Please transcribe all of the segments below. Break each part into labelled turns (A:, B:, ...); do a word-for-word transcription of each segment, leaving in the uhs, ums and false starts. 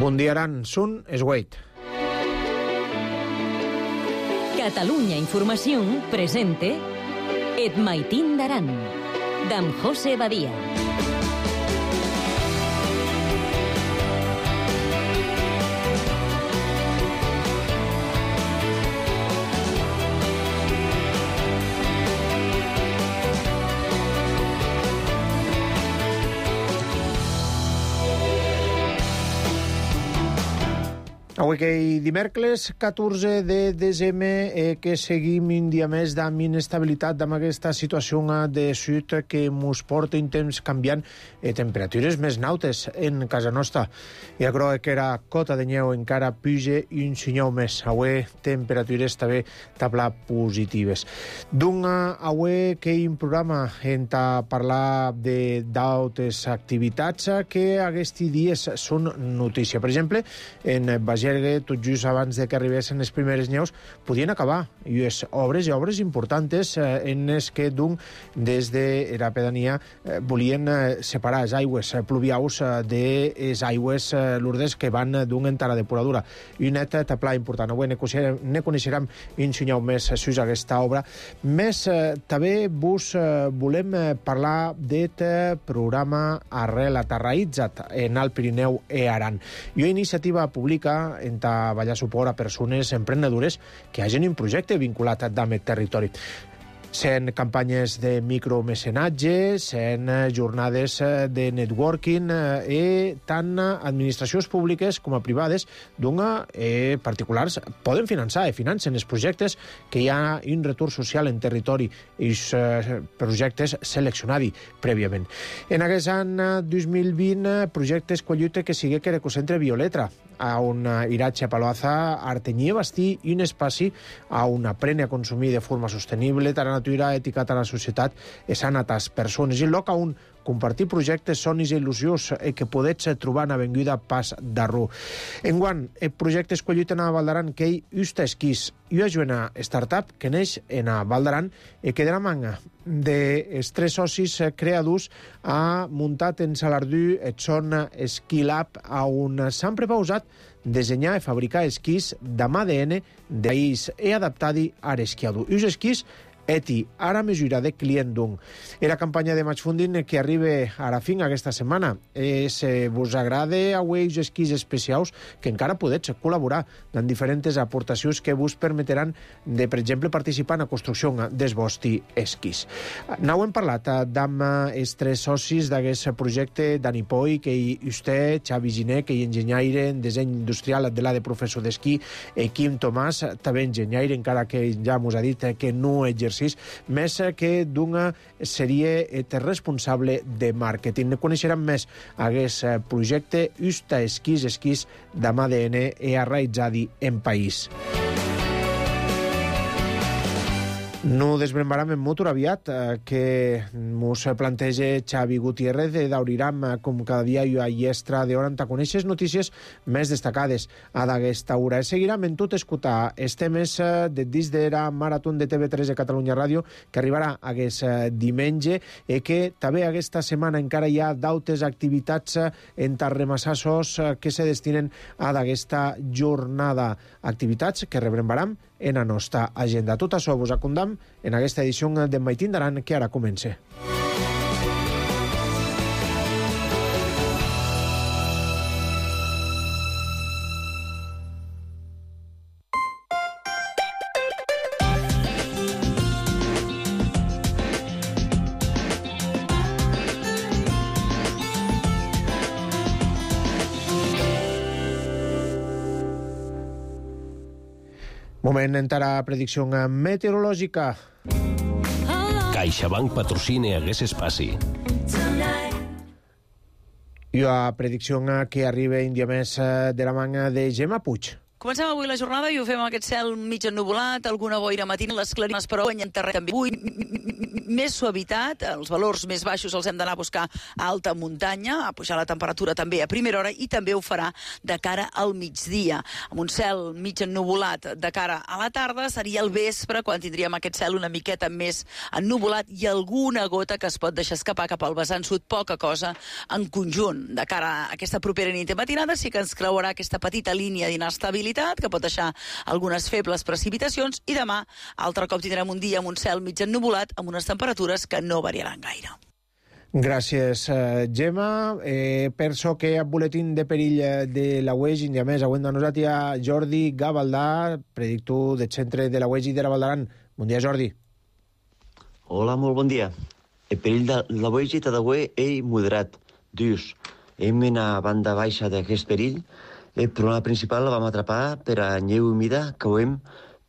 A: Bundiaran Sun Esweit.
B: Catalunya Informació presente Et Maitín d'Aran, d'en José Badia.
A: Avui que hi dimecres catorze de desembre eh, que seguim un dia més d'am inestabilitat d'am aquesta situació de sud que mos porta un temps canviant eh, temperatures més nautes en casa nostra. I agro que era cota de neu encara puja i un senyal més. Avui temperatures també tabla positives. D'un avui que hi un programa en ta parlar de d'altres activitats que aquests dies són notícia. Per exemple, en Bagergue, tot just abans de que arribessin les primeres neus, podien acabar. I les obres i obres importants eh, en les que d'un des de la pedania eh, volien eh, separar les aigües eh, pluviaus eh, de les aigües eh, lourdes que van eh, d'un entara depuradora. I un net taplà important. Avui ne coneixerem, ne coneixerem un senyal més sus aquesta obra. Més eh, també vos eh, volem eh, parlar d'aquest programa Arrel Aterraitzat en el Pirineu e Aran. I una iniciativa pública en ta ballar suport a persones emprenedores que hagin un projecte vinculat amb aquest territori. Sent campanyes de micromecenatge, sent jornades de networking i tant administracions públiques com a privades d'una eh, particulars poden finançar i financen els projectes que hi ha un retorn social en territori i els eh, projectes seleccionats prèviament. En aquest any dos mil vint, projecte escollit que sigui que l'ecocentre Violetra, a un iratge a Paloaza, Artenyí i Bastí i un espaci a on aprene a consumir de forma sostenible, tant a natura, ètica, tant a la societat, i sana a les persones. I lloc on compartir projectes, somnis i il·lusions eh, que podets trobar en Avinguda Pas d'Arrú. Enguant, el projecte escollit en a Valdaran que hi usta esquís i una joana startup que neix en a Valdaran i que de la manga dels tres socis creadors ha muntat en Salardú el Son Ski Lab on s'han prepausat dissenyar i fabricar esquís d'am A D N de país i adaptat-hi a l'esquiador. I els esquís eti, ara mesura de client d'un. I la campanya de match funding que arriba a la fin aquesta setmana. És, eh, vos agrada avui els esquís especials que encara podets col·laborar en diferents aportacions que vos permetran de, per exemple, participar en la construcció dels vostres esquís. N'heu hem parlat d'amb els tres socis d'aquest projecte, Dani Poi, que hi vostè, Xavi Giné, que hi enginyaire en disseny industrial de la de professor d'esquí, i Quim Tomàs, també enginyaire, encara que ja mos ha dit que no exerceix més que d'una seria responsable de màrqueting. Ne coneixerem més aquest projecte Usta Esquís, esquís d'am A D N i arraitzadi en país. No desbrembaram en motor aviat, eh, que mos planteja Xavi Gutiérrez d'Auriram, com cada dia i a Iestra d'hora en ta coneixes notícies més destacades a d'aquesta hora. Seguirem en tot escoltar els temes de dins de la Marató de T V tres de Catalunya Ràdio, que arribarà aquest diumenge, i que també aquesta setmana encara hi ha d'altres activitats en Tarremasassos que se destinen a d'aquesta jornada. Activitats que rebrembaram en la nostra agenda. Tot això vos acondam en aquesta edició de Maitín d'Aran, que ara comença. Moment entrar a predicció meteorològica.
C: CaixaBank patrocina aquest espaci.
A: I a predicció que arriba un dia més de la manga de Gemma Puig.
D: Comencem avui la jornada i ho fem amb aquest cel mig ennuvolat, alguna boira matina, les clarimes, però guanyen terreny també. Avui més suavitat, els valors més baixos els hem d'anar a buscar a alta muntanya, a pujar la temperatura també a primera hora i també ho farà de cara al migdia. Amb un cel mig ennuvolat de cara a la tarda seria el vespre quan tindríem aquest cel una miqueta més ennuvolat i alguna gota que es pot deixar escapar cap al vessant sud, poca cosa en conjunt. De cara a aquesta propera nit i matinada sí que ens creuarà aquesta petita línia d'inestabilitat que pot deixar algunes febles precipitacions i demà altre cop tindrem un dia amb un cel mig ennuvolat amb unes temperatures que no variaran gaire.
A: Gràcies, uh, Gemma. Eh, penso que a boletín de perill de la U E G, i a més, avui amb nosaltres a Jordi Gavaldà, predictor del centre de la U E G i de la Vall d'Aran. Bon dia, Jordi.
E: Hola, molt bon dia. El perill de la U E G t'ha d'haver ell moderat. Dius, hem a banda baixa d'aquest perill. El problema principal la vam atrapar per a neu humida que ho hem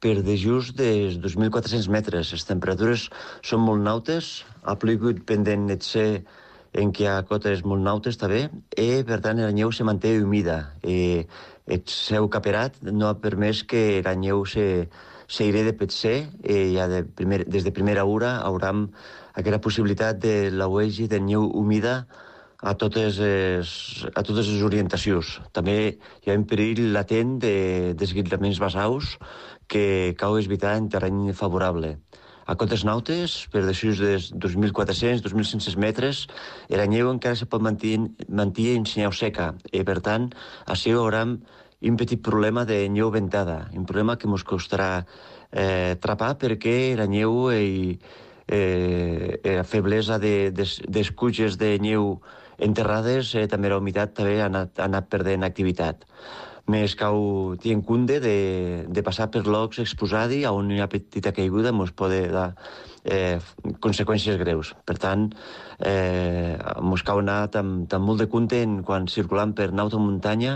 E: per de just dels dos mil quatre-cents metres. Les temperatures són molt nautes, ha plogut pendent et ser en què hi ha cotes molt nautes també, i per tant la neu se manté humida. E, el seu caperat no ha permès que la neu se, se iré de petser, i ja de primer, des de primera hora haurem aquesta possibilitat de la U E G de neu humida a totes les, a totes les orientacions. També hi ha un perill latent de desguitlaments basaus que cau evitar en terreny favorable. A cotes nautes, per després dels dos mil quatre-cents a dos mil cinc-cents metres, la neu encara se pot mantenir, mantenir en senyal seca. I, per tant, així haurem un petit problema de neu ventada, un problema que ens costarà eh, trapar perquè la neu i eh, la feblesa de, des, d'escutxes de neu enterrades, eh, també la humitat també ha anat, ha anat perdent activitat. Més cau tenir en compte de, de passar per llocs exposats on hi ha petita caiguda ens pot dar eh, conseqüències greus. Per tant, eh, ens cau anar amb, amb molt de compte en, quan circulant per nauta muntanya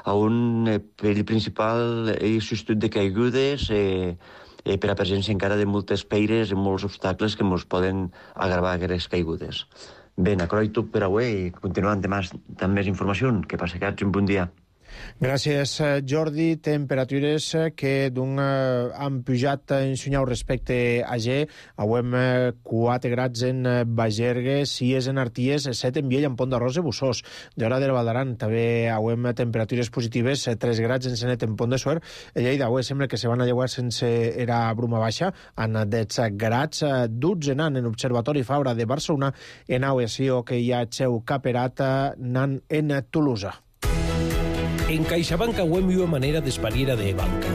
E: on el perill principal és substitut de caigudes eh, eh, per a presència encara de moltes peires i molts obstacles que ens poden agravar aquestes caigudes. Bé, acroi tot per avui i continuem demà amb més informació. Que passi un bon dia.
A: Gràcies, Jordi. Temperatures que d'un eh, han pujat en Sunyau respecte a G. Avui eh, quatre grads en Bagergue, sis en Arties, set en Viella, en Pont d'Arròs i Bussós. D'hora del Val d'Aran també avui temperatures positives, tres grads en Senet, en Pont de Suert. A Lleida avui sembla que se van a llevar sense era bruma baixa, en dotze grads, dotze nan en Observatori Fabra de Barcelona, en Auesió que hi ha seu caperat nan en Tolosa.
C: En CaixaBank auem una manera d'espariera de banca,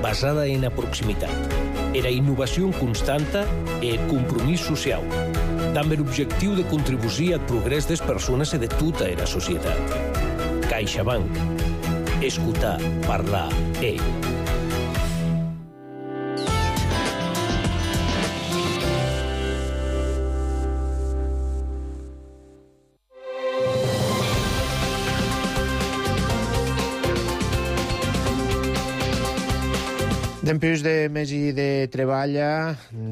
C: basada en la proximitat, era innovació constanta e compromís social, amb l'objectiu de contribuir al progrés des persones i de tota la societat. CaixaBank. Escoltar, parlar, e...
A: Dempeus de mes i de treball,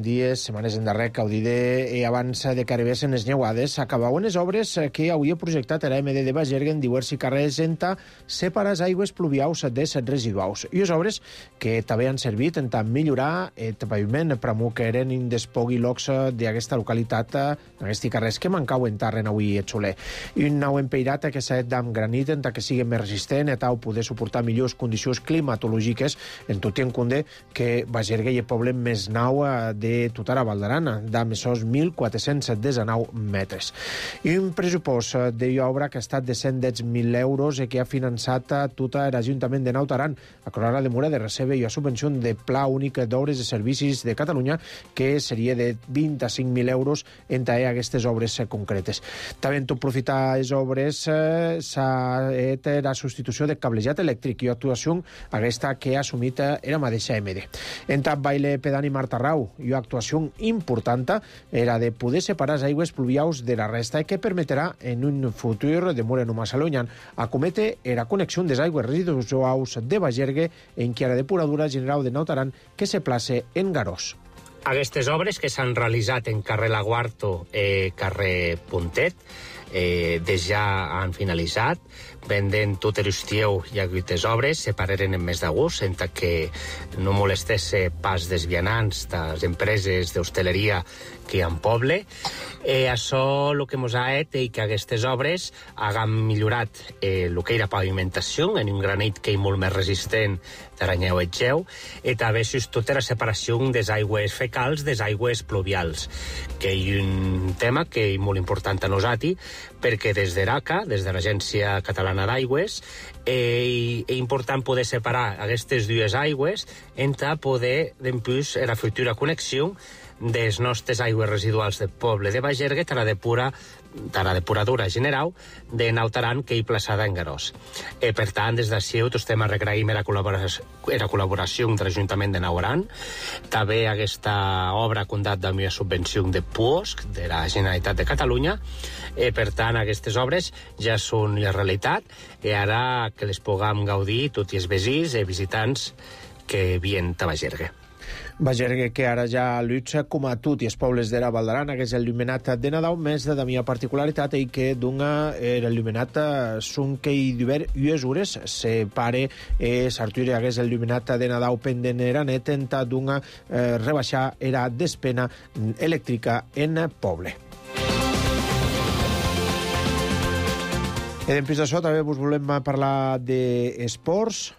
A: dies, setmanes endarrere, caudide i abans de que arribessin les neuades, s'acabaven les obres que havia projectat la M D de Bagergue en diversos carrers enta separar les aigües pluvials de set residuals. I les obres que també han servit en millorar el paviment pramo que eren in despogui locs d'aquesta localitat, en aquests carrers que mancaven tarren avui a Xoler. I un nou empeirat que s'ha fet amb granit en que sigui més resistent i tal poder suportar millors condicions climatològiques en tot i en compte que Bagergue i el poble més nau de tota la Val d'Aran, d'amessos mil quatre-cents dinou metres. I un pressupost d'obra que ha estat de cent deu mil euros i que ha finançat tot l'Ajuntament de Naut Aran, a Corora de Mura de recebe i a subvenció de Pla Únic d'Obres de Servicis de Catalunya, que seria de vint-i-cinc mil euros entre aquestes obres concretes. També en tot aprofitar les obres s'ha fet la substitució de cablejat elèctric i actuació aquesta que ha assumit era mateixa M D. En tap baile pedani Marta Rau i una actuació important era de poder separar les aigües pluvials de la resta i que permetrà en un futur de molt no massa llunyà acometre la connexió des aigües residuals de Bagergue en qui la depuradora general de Naut Aran que se place en Garós.
F: Aquestes obres que s'han realitzat en carrer Laguarto i eh, carrer Puntet eh, des ja han finalitzat, vendent tot l'estiu i aquestes obres se pareren en mes d'agost, sense que no molestesse pas dels vianants, de les empreses d'hostaleria que hi ha en poble. Eh, això el que ens ha fet és que aquestes obres hagin millorat eh, el que era pavimentació en un granit que és molt més resistent d'aranyeu i geu, i també és tota la separació des aigües fecals des aigües pluvials, que és un tema que és molt important a nosaltres, perquè des d'ERACA, des de l'Agència Catalana d'Aigües, eh, és important poder separar aquestes dues aigües entre poder, d'empús, la futura connexió des nostres aigües residuals del poble de Bagergue a la depura de la depuradora general de Nautaran, que hi plaçada en Garós. Eh, per tant, des d'ací estem agraïm la col·laboració, la col·laboració de l'Ajuntament de Nautaran. També aquesta obra ha comptat amb una subvenció de P U O S C, de la Generalitat de Catalunya. Eh, per tant, aquestes obres ja són la realitat, i ara que les puguem gaudir tots els veïns i visitants que vien a Bagergue.
A: Bagergue, que ara ja lluita com a tot i els pobles de la Valdaran, que és il·luminat de Nadal, més de la meva particularitat i que d'una era il·luminat són que hi d'hivern i les hores se pare eh, s'arturi hagués il·luminat de Nadal pendent era net enta d'una eh, rebaixar era despena elèctrica en poble. I després d'això també us volem parlar d'esports.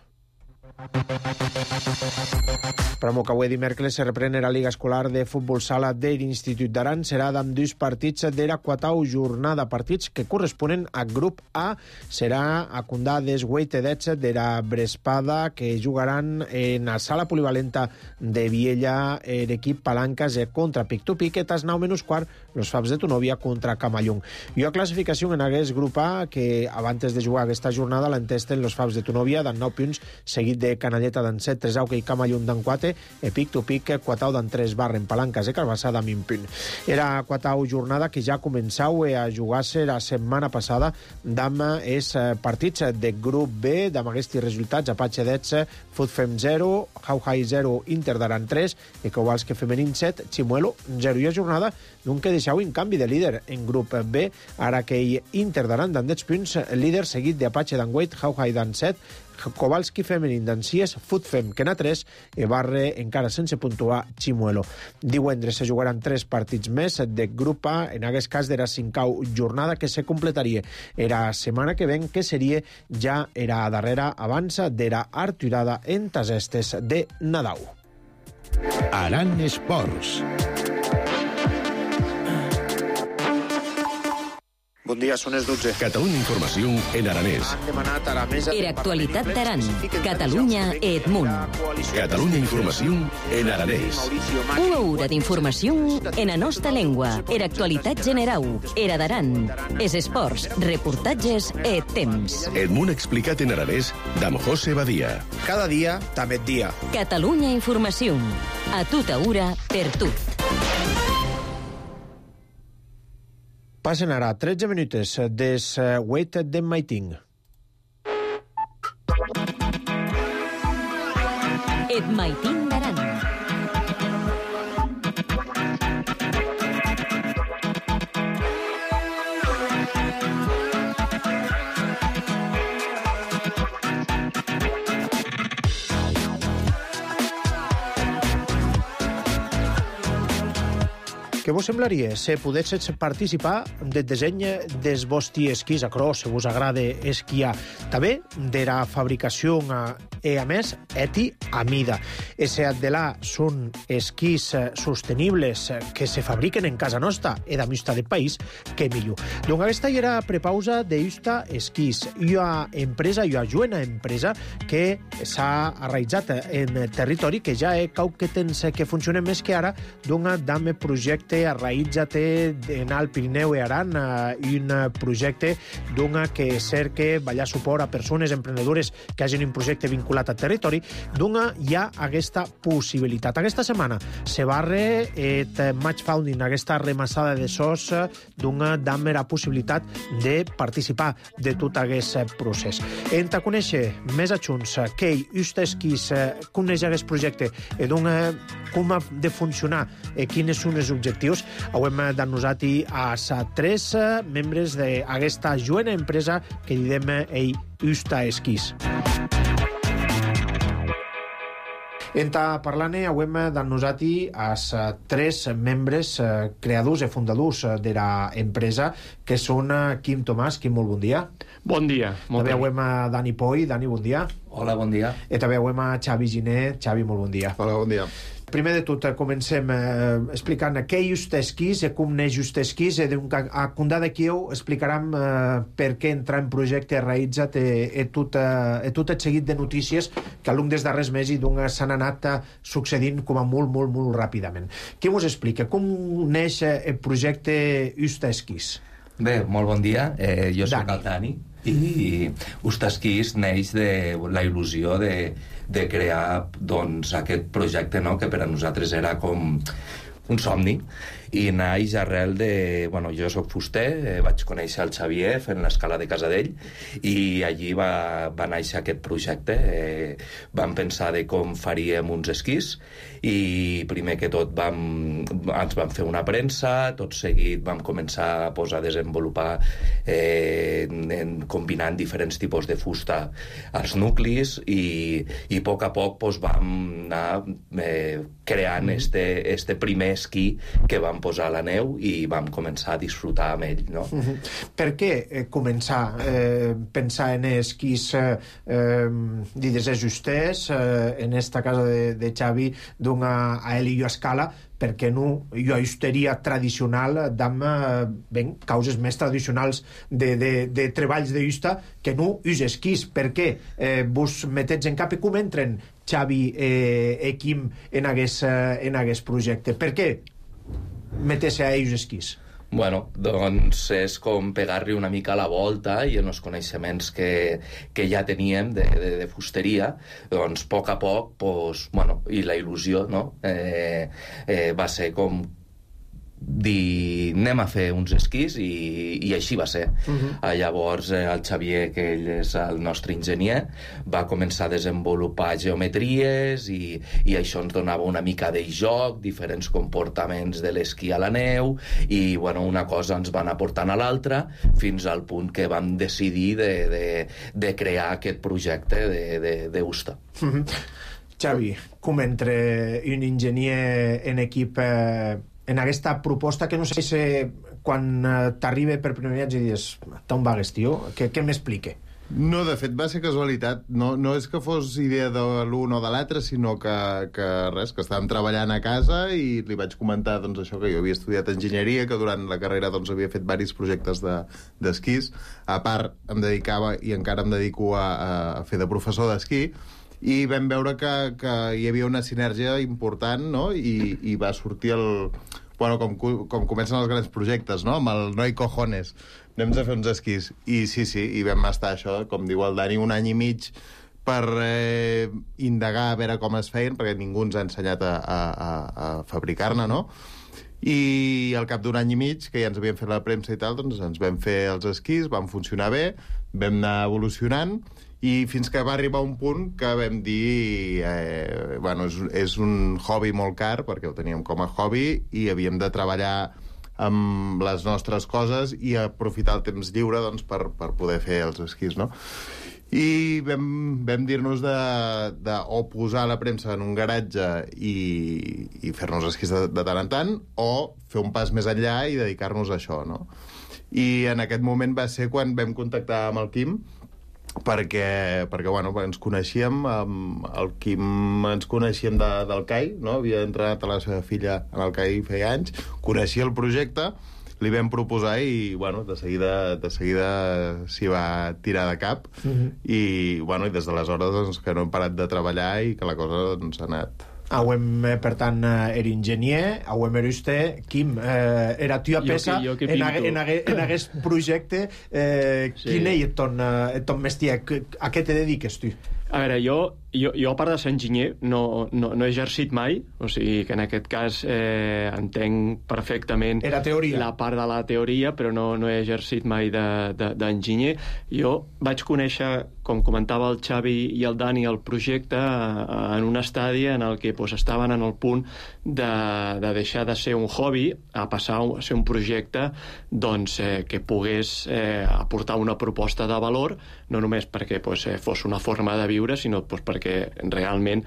A: Per a que avui dimecres se reprèn la Liga Escolar de Futbol Sala de l'Institut d'Aran. Serà amb dos partits de la quatau jornada, partits que corresponen a grup A. Serà a Condà des Hueitedets de la Brespada, que jugaran en la sala polivalenta de Viella l'equip Palancas contra Pic-to-Pic, i tas nou menys quart los Fabs de Tunòvia contra Camallung. I a classificació en aquest grup A, que abans de jugar aquesta jornada l'entesten los Fabs de Tunòvia d'en nou punts, seguit de Canalleta d'en set, tres Auca i Camallung d'en quatre, e Pic-to-Pic, quatau d'en tres Barren, Palancas i Carbassà d'en vint punt. Era quatau jornada que ja començau a jugar-se la setmana passada d'am els partits de grup B, d'am aquests resultats: Apache dotze, Futfem zero, Jauhai zero, Inter d'Aran tres, i Kowalski Femenin set, Chimuelo zero. I a jornada d'un que deixau en canvi de líder en grup B, ara que hi Inter d'Aran d'en deu punts, líder seguit d'Apache d'en vuit, Jauhai d'en set, Kowalski Femenin d'en sis, Futfem que n'ha tres, i Barre encara sense puntuar Chimuelo. Divendres se jugaran tres partits més de grup A, en aquest cas de la cinquau jornada, que se completaria era setmana que ven, que seria ja era darrera abans de la arturada en tas estes de Nadal.
G: Aran Esports.
A: Bon dia, són les dotze.
G: Catalunya Informació en aranès.
A: Han demanat a la mesa...
B: Era actualitat d'Aran. Catalunya Edmunt.
G: Catalunya Informació en aranès.
B: Una hora d'informació en la nostra llengua. Era actualitat general. Era d'Aran. Es esports, reportatges e temps.
G: Edmunt explicat en aranès d'am José Badia.
A: Cada dia, també dia.
B: Catalunya Informació. A tota hora, per tot.
A: Passen ara tretze minuts des Wait de Maiting.
B: Et Maiting d'Aran.
A: Què vos semblaria si podessis participar del disseny dels vostres esquís a cross, si vos agrada esquiar? També de la fabricació e, a més, eti a mida. Ese de là són esquís sostenibles que se fabriquen en casa nostra e da mista de país, que millor. Donc aquesta era prepausa de Justa Esquís, una empresa, una juena empresa que s'ha arraigat en territori, que ja he cau que tens que funciona més que ara, d'un dame projecte arraïtza-te en el Pirineu i Aran, un projecte d'un que cerca ballar suport a persones emprenedores que hagin un projecte vinculat al territori, d'un hi ha aquesta possibilitat. Aquesta setmana se barre et Match Founding, aquesta remassada de sos d'un dame la possibilitat de participar de tot aquest procés. En ta conèixer més adjunts que Justa Esquís coneix aquest projecte i d'un com ha de funcionar i quines són els objectius, creadors. Hauem d'annosati a sa tres membres d'aquesta joena empresa que didem ei Usta Esquís. Enta parlant, hauem d'annosati als tres membres creadors i fundadors de l'empresa, que són Quim Tomàs. Quim, molt bon dia.
H: Bon dia.
A: També hauem a Dani Poi. Dani, bon dia.
I: Hola, bon dia.
A: I també hauem a Xavi Giner. Xavi, molt bon dia.
J: Hola, bon dia.
A: Primer de tot, comencem eh, explicant què és Just Esquís, e com neix Just Esquís, e a condà d'aquí explicaram eh, per què entrar en projecte realitzat e, e, tot, eh, e tot el seguit de notícies que al long dels darrers mesos s'han anat succeint com a molt, molt, molt ràpidament. Què us explica? Com neix el projecte Just Esquís?
I: Bé, molt bon dia. Eh, jo soc el Dani i Just Esquís neix de la il·lusió de, de crear doncs, aquest projecte, no?, que per a nosaltres era com un somni, i naix arrel de... Bueno, jo soc fuster, eh, vaig conèixer el Xavier fent l'escala de casa d'ell, i allí va, va néixer aquest projecte. Eh, vam pensar de com faríem uns esquís, i primer que tot vam, ens vam fer una premsa, tot seguit vam començar a posar a desenvolupar eh, en, combinant diferents tipus de fusta als nuclis, i, i a poc a poc pues, vam anar eh, creant este, este primer esquí que vam posar a la neu i vam començar a disfrutar amb ell, no?
A: Uh-huh. Per què eh, començar eh, pensar en esquís eh, eh, dides ajustés eh, en esta casa de, de Xavi d'una a ell i jo escala, perquè no jo ajusteria tradicional d'amb eh, ben, causes més tradicionals de, de, de treballs de justa que no us esquís? Per què eh, vos metets en cap i com entren Xavi eh, i Quim en aquest, eh, en aquest projecte? Per què meter-se a ells esquís?
I: Bueno, doncs és com pegar-li una mica a la volta i en els coneixements que, que ja teníem de, de, de fusteria, doncs a poc a poc, pues, bueno, i la il·lusió, no?, eh, eh, va ser com dir, anem a fer uns esquís, i, i així va ser. Uh-huh. Llavors eh, el Xavier, que ell és el nostre enginyer, va començar a desenvolupar geometries, i, i això ens donava una mica de joc, diferents comportaments de l'esquí a la neu, i bueno, una cosa ens va anar portant a l'altra, fins al punt que vam decidir de, de, de crear aquest projecte de, de, de Usta.
A: Uh-huh. Xavi, com entre un enginyer en equip eh, en aquesta proposta que no sé si quan eh, t'arriba per primer viatge i dius, t'on vagues, tio? Què, què m'explique?
J: No, de fet va ser casualitat. No, no és que fos idea de l'un o de l'altre, sinó que, que res, que estàvem treballant a casa i li vaig comentar doncs, això, que jo havia estudiat enginyeria, que durant la carrera doncs, havia fet diversos projectes d'esquís. De, a part, em dedicava i encara em dedico a, a fer de professor d'esquí, i vam veure que, que hi havia una sinergia important, no?, i, i va sortir el... Bueno, com, com comencen els grans projectes, no?, amb el noi cojones, anem a fer uns esquís. I sí, sí, i vam estar això, com diu el Dani, un any i mig per eh, indagar a veure com es feien, perquè ningú ens ha ensenyat a, a, a fabricar-ne, no?, i al cap d'un any i mig, que ja ens havíem fet la premsa i tal, doncs ens vam fer els esquís, van funcionar bé, vam anar evolucionant, i fins que va arribar un punt que vam dir eh, bueno, és, és un hobby molt car, perquè ho teníem com a hobby i havíem de treballar amb les nostres coses i aprofitar el temps lliure doncs, per, per poder fer els esquís, no? I vam, vam dir-nos de, de o posar la premsa en un garatge i, i fer-nos esquís de, de tant en tant, o fer un pas més enllà i dedicar-nos a això, no? I en aquest moment va ser quan vam contactar amb el Quim, perquè, perquè bueno, ens coneixíem, amb el Quim ens coneixíem de, del C A I, no? Havia entrenat a la seva filla en el C A I feia anys, coneixia el projecte, li vam proposar i, bueno, de seguida, de seguida s'hi va tirar de cap, uh-huh. i, bueno, i des d'aleshores doncs, que no hem parat de treballar i que la cosa doncs, ha anat...
A: Auem, per tant, era enginyer, auem era usted, Quim, eh, era tia pesa
H: jo que, jo que
A: en, ag en, ag en aquest projecte. Eh, sí. Quin és ton, eh, ton mestier? A què te dediques, tu?
H: A veure, jo jo, jo, a part de ser enginyer, no, no, no he exercit mai, o sigui que en aquest cas eh, entenc perfectament
A: Era teoria.
H: la part de la teoria, però no, no he exercit mai d'enginyer. De, de, jo vaig conèixer, com comentava el Xavi i el Dani, el projecte en un estadi en el que pues, estaven en el punt de, de deixar de ser un hobby a passar a ser un projecte doncs, eh, que pogués eh, aportar una proposta de valor, no només perquè pues, eh, fos una forma de viure, sinó pues, perquè realment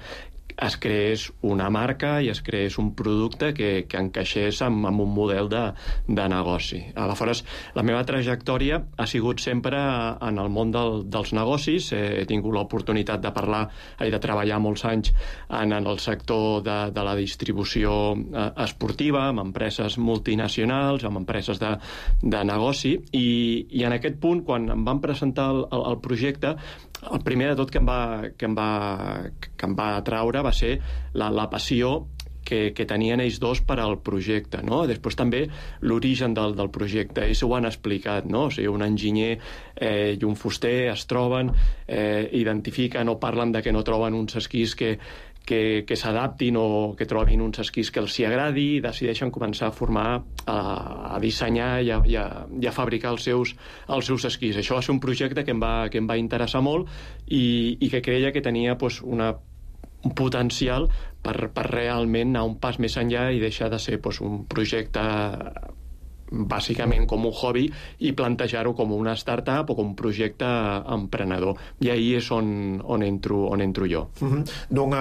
H: es creés una marca i es creés un producte que, que encaixés amb, amb un model de, de negoci. Aleshores, la meva trajectòria ha sigut sempre en el món del, dels negocis. He tingut l'oportunitat de parlar i de treballar molts anys en, en el sector de, de la distribució eh, esportiva, amb empreses multinacionals, amb empreses de, de negoci, i, i en aquest punt, quan em van presentar el, el, el projecte, el primer de tot que em va, que em va, que em va atraure va ser la, la passió que, que tenien ells dos per al projecte, no? Després també l'origen del, del projecte, ells ho han explicat, no? O sigui, un enginyer eh, i un fuster es troben, eh, identifiquen o parlen de que no troben uns esquís que, que, que s'adaptin o que trobin uns esquís que els hi agradi, i decideixen començar a formar, a, a dissenyar i a, i, a, i a fabricar els seus, els seus esquís. Això va ser un projecte que em va, que em va interessar molt i, i que creia que tenia pues, una un potencial per, per realment anar un pas més enllà i deixar de ser pues, un projecte bàsicament com un hobby i plantejar-ho com una startup o com un projecte emprenedor. I ahí és on, on, entro, on entro jo.
A: Uh-huh. Donc,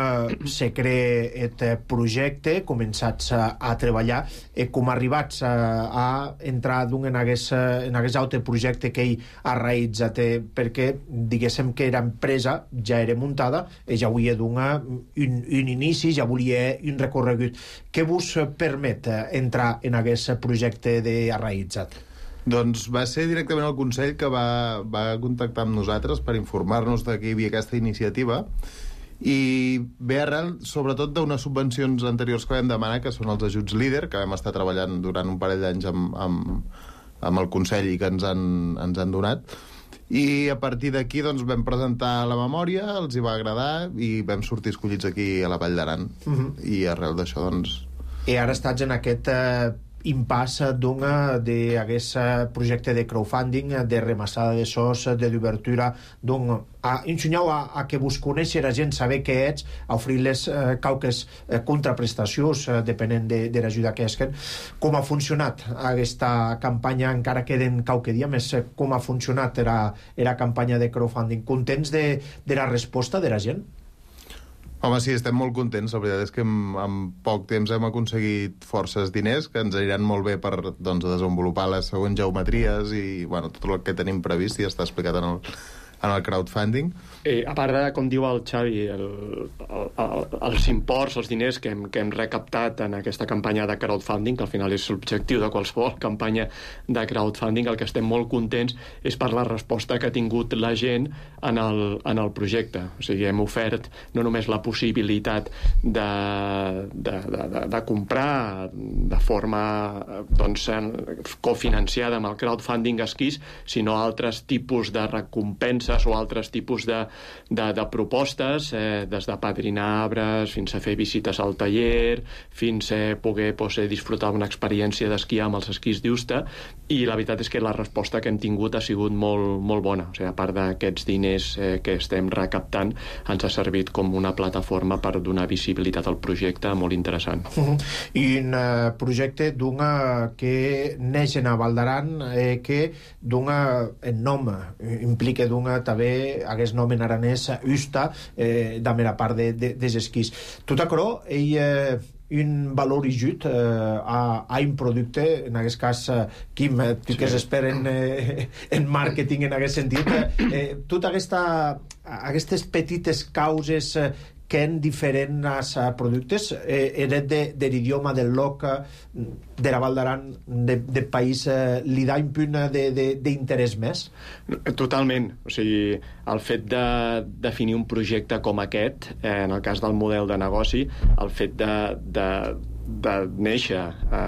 A: se crea aquest projecte, començats a, a treballar, eh, com arribats a, a entrar en aquest, en aquest altre projecte que ell ha realitzat, eh, perquè diguéssim que era empresa, ja era muntada, i ja volia donar un, un inici, ja volia un recorregut. Què vos permet entrar en aquest projecte de ha realitzat?
J: Doncs va ser directament el Consell que va, va contactar amb nosaltres per informar-nos de que hi havia aquesta iniciativa, i ve arrel sobretot d'unes subvencions anteriors que vam demanar, que són els ajuts líder, que vam estar treballant durant un parell d'anys amb, amb, amb el Consell i que ens han, ens han donat, i a partir d'aquí doncs, vam presentar la memòria, els hi va agradar i vam sortir escollits aquí a la Vall d'Aran. Uh-huh. I arrel d'això doncs...
A: I ara estats en aquest eh, impàs d'aquest projecte de crowdfunding, de remassada de sos, de d'obertura, doncs a ensenyar a, a que vos conèixer a gent, saber què ets, a oferir-les eh, qualques eh, contraprestacions eh, depenent de, de l'ajuda que esquen. Com ha funcionat aquesta campanya? Encara queden qualque dia més. Com ha funcionat la, la campanya de crowdfunding? Contents de, de la resposta de la gent?
J: Home, sí, estem molt contents. La veritat és que en, en poc temps hem aconseguit forces diners que ens aniran molt bé per doncs, desenvolupar les següents geometries i bueno, tot el que tenim previst i està explicat en el, en el crowdfunding.
H: Eh, a part de, com diu el Xavi, el, el, el, els imports, els diners que hem, que hem recaptat en aquesta campanya de crowdfunding, que al final és l'objectiu de qualsevol campanya de crowdfunding, el que estem molt contents és per la resposta que ha tingut la gent en el, en el projecte. O sigui, hem ofert no només la possibilitat de, de, de, de, de comprar de forma doncs, cofinanciada amb el crowdfunding esquís, sinó altres tipus de recompenses o altres tipus de De, de propostes, eh, des de padrinar arbres fins a fer visites al taller, fins a poder pues, disfrutar una experiència d'esquiar amb els esquís d'Usta, i la veritat és que la resposta que hem tingut ha sigut molt, molt bona. O sigui, a part d'aquests diners eh, que estem recaptant, ens ha servit com una plataforma per donar visibilitat al projecte molt interessant.
A: Uh-huh. I un uh, projecte d'una que neix a Vall d'Aran, eh, que d'una en nom implica d'una també hagués nom en aranès Usta, eh, de la part de, de, des esquís. Tot això, ell eh, un valor ajut eh, a, a un producte, en aquest cas eh, Quim, eh, tu sí. que s'esperen eh, en màrqueting en aquest sentit, eh, tota aquesta aquestes petites causes eh, que en diferents uh, productes eh, eren de, de l'idioma del loc de la Vall d'Aran, de, de país, eh, li da un punt d'interès més?
H: Totalment. O sigui, el fet de definir un projecte com aquest, eh, en el cas del model de negoci, el fet de, de de néixer a,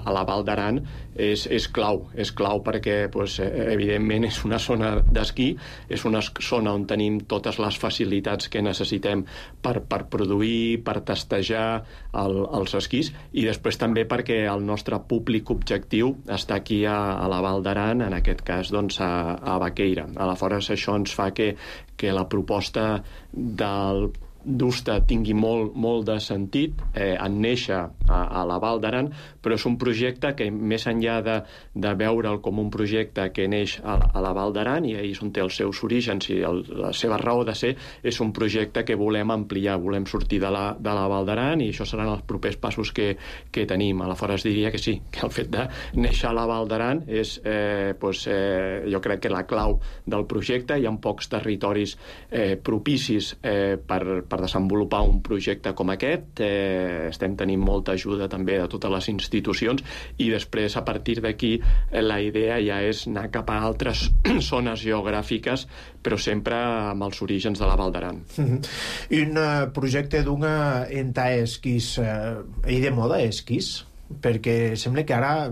H: a la Val d'Aran és, és clau, és clau perquè pues, evidentment és una zona d'esquí, és una zona on tenim totes les facilitats que necessitem per, per produir, per testejar el, els esquís, i després també perquè el nostre públic objectiu està aquí a, a la Val d'Aran, en aquest cas doncs, a, a Baqueira. Aleshores això ens fa que, que la proposta del d'Usta tingui molt, molt de sentit eh, en néixer a, a la Val d'Aran, però és un projecte que més enllà de, de veure'l com un projecte que neix a, a la Val d'Aran, i ahir és on té els seus orígens i el, la seva raó de ser, és un projecte que volem ampliar, volem sortir de la, de la Val d'Aran, i això seran els propers passos que, que tenim. Aleshores diria que sí, que el fet de néixer a la Val d'Aran és, eh, pues, eh, jo crec que la clau del projecte. Hi ha pocs territoris eh, propicis eh, per, per per desenvolupar un projecte com aquest. Eh, estem tenint molta ajuda també de totes les institucions, i després a partir d'aquí eh, la idea ja és anar cap a altres zones geogràfiques, però sempre amb els orígens de la Val d'Aran.
A: Mm-hmm. Un uh, projecte d'una enta esquís, uh, i de moda esquís? Perquè sembla que ara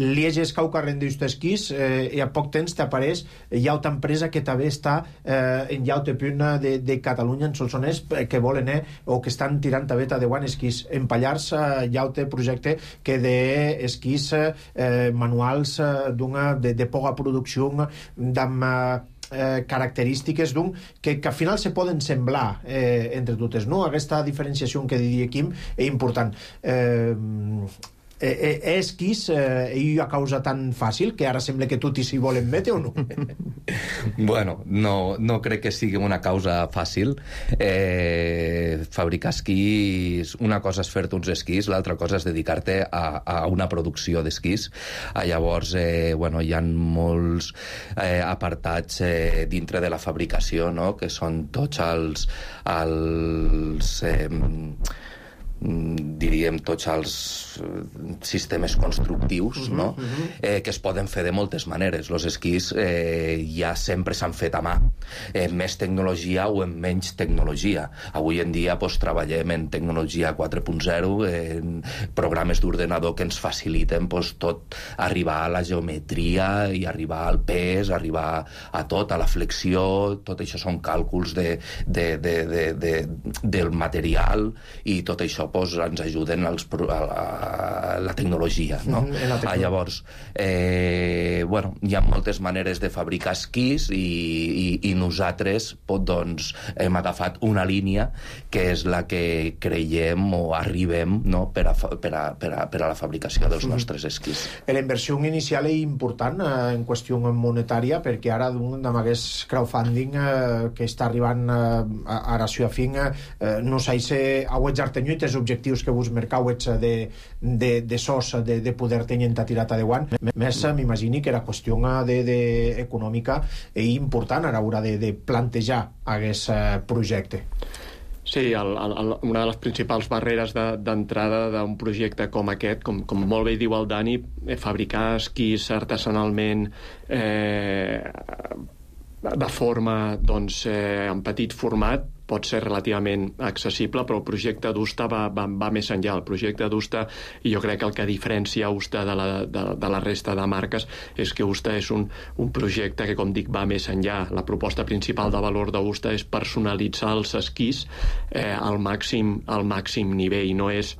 A: lieges cau carrent d'ust esquís eh, i a poc temps t'apareix llauta empresa que també està eh, en llaute puna de, de Catalunya, en Solsonès, que volen eh, o que estan tirant també de guant esquís en Pallars, eh, llaute projecte que de esquís eh, manuals eh, d'una de, de poca producció d'amb eh, Eh, característiques d'un que, que al final se poden semblar eh, entre totes, no? Aquesta diferenciació que diria Quim és important. Eh, eh, eh, esquís eh, i a causa tan fàcil que ara sembla que tot i s'hi volen metre o no?
I: Bueno, no, no crec que sigui una causa fàcil. Eh, fabricar esquís, una cosa és fer-te uns esquís, l'altra cosa és dedicar-te a, a una producció d'esquís. Ah, llavors, eh, bueno, hi ha molts eh, apartats eh, dintre de la fabricació, no?, que són tots els... els eh, diríem tots els sistemes constructius, no? eh, que es poden fer de moltes maneres. Els esquís eh, ja sempre s'han fet a mà, eh, més tecnologia o en menys tecnologia. Avui en dia pues, treballem en tecnologia quatre punt zero, en programes d'ordenador que ens faciliten pues, tot, arribar a la geometria i arribar al pes, arribar a tot, a la flexió. Tot això són càlculs de, de, de, de, de, del material, i tot això pues, ens ajuden als, a, a la tecnologia, no? Mm, la tecnologia. Ah, llavors, eh, bueno, hi ha moltes maneres de fabricar esquís, i, i, i nosaltres pot, doncs, hem agafat una línia que és la que creiem o arribem, no?, per, a, per, a, per, a, per a la fabricació dels mm. nostres esquís.
A: La inversió inicial és important eh, en qüestió monetària, perquè ara amb aquest crowdfunding eh, que està arribant eh, a Aració Afin, eh, no sé si auets artenyuites objectius que vos mercauets de, de, de sos de, de poder tenir tirat a deuant. Més m'imagini que la qüestió de, de econòmica és important a l'hora de, de plantejar aquest projecte.
H: Sí, el, el, una de les principals barreres d'entrada de, d'un projecte com aquest, com, com molt bé diu el Dani, eh, fabricar esquís artesanalment eh, de forma, doncs, eh, en petit format, pot ser relativament accessible, però el projecte d'Usta va, va, va més enllà. El projecte d'Usta, i jo crec que el que diferencia Usta de la, de, de la resta de marques, és que Usta és un, un projecte que, com dic, va més enllà. La proposta principal de valor d'Usta és personalitzar els esquís eh, al màxim, al màxim nivell, no és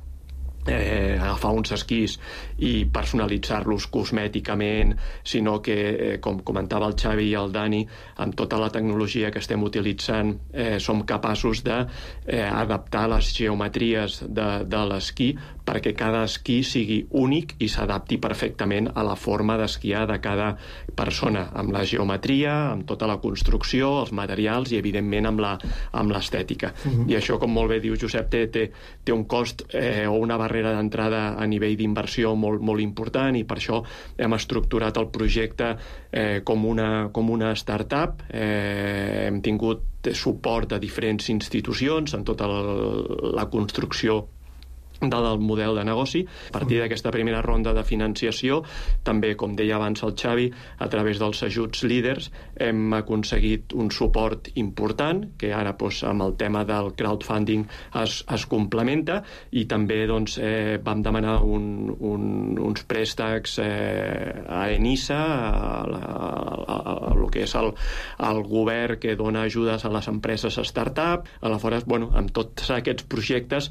H: Eh, agafar uns esquís i personalitzar-los cosmèticament, sinó que, eh, com comentava el Xavi i el Dani, amb tota la tecnologia que estem utilitzant eh, som capaços d'adaptar eh, les geometries de, de l'esquí perquè cada esquí sigui únic i s'adapti perfectament a la forma d'esquiar de cada persona, amb la geometria, amb tota la construcció, els materials i, evidentment, amb la, amb l'estètica. Mm-hmm. I això, com molt bé diu Josep, té, té, té un cost eh, o una barrera d'entrada a nivell d'inversió molt, molt important, i per això hem estructurat el projecte eh, com, una, com una startup. Eh, hem tingut suport de diferents institucions en tota la, la construcció del model de negoci. A partir d'aquesta primera ronda de financiació, també, com deia abans el Xavi, a través dels ajuts líders hem aconseguit un suport important, que ara doncs, amb el tema del crowdfunding es, es complementa, i també doncs, eh, vam demanar un, un, uns préstecs eh, a ENISA, a, la, a, a, a el que és el, el govern que dona ajudes a les empreses start-up. Aleshores, bueno, amb tots aquests projectes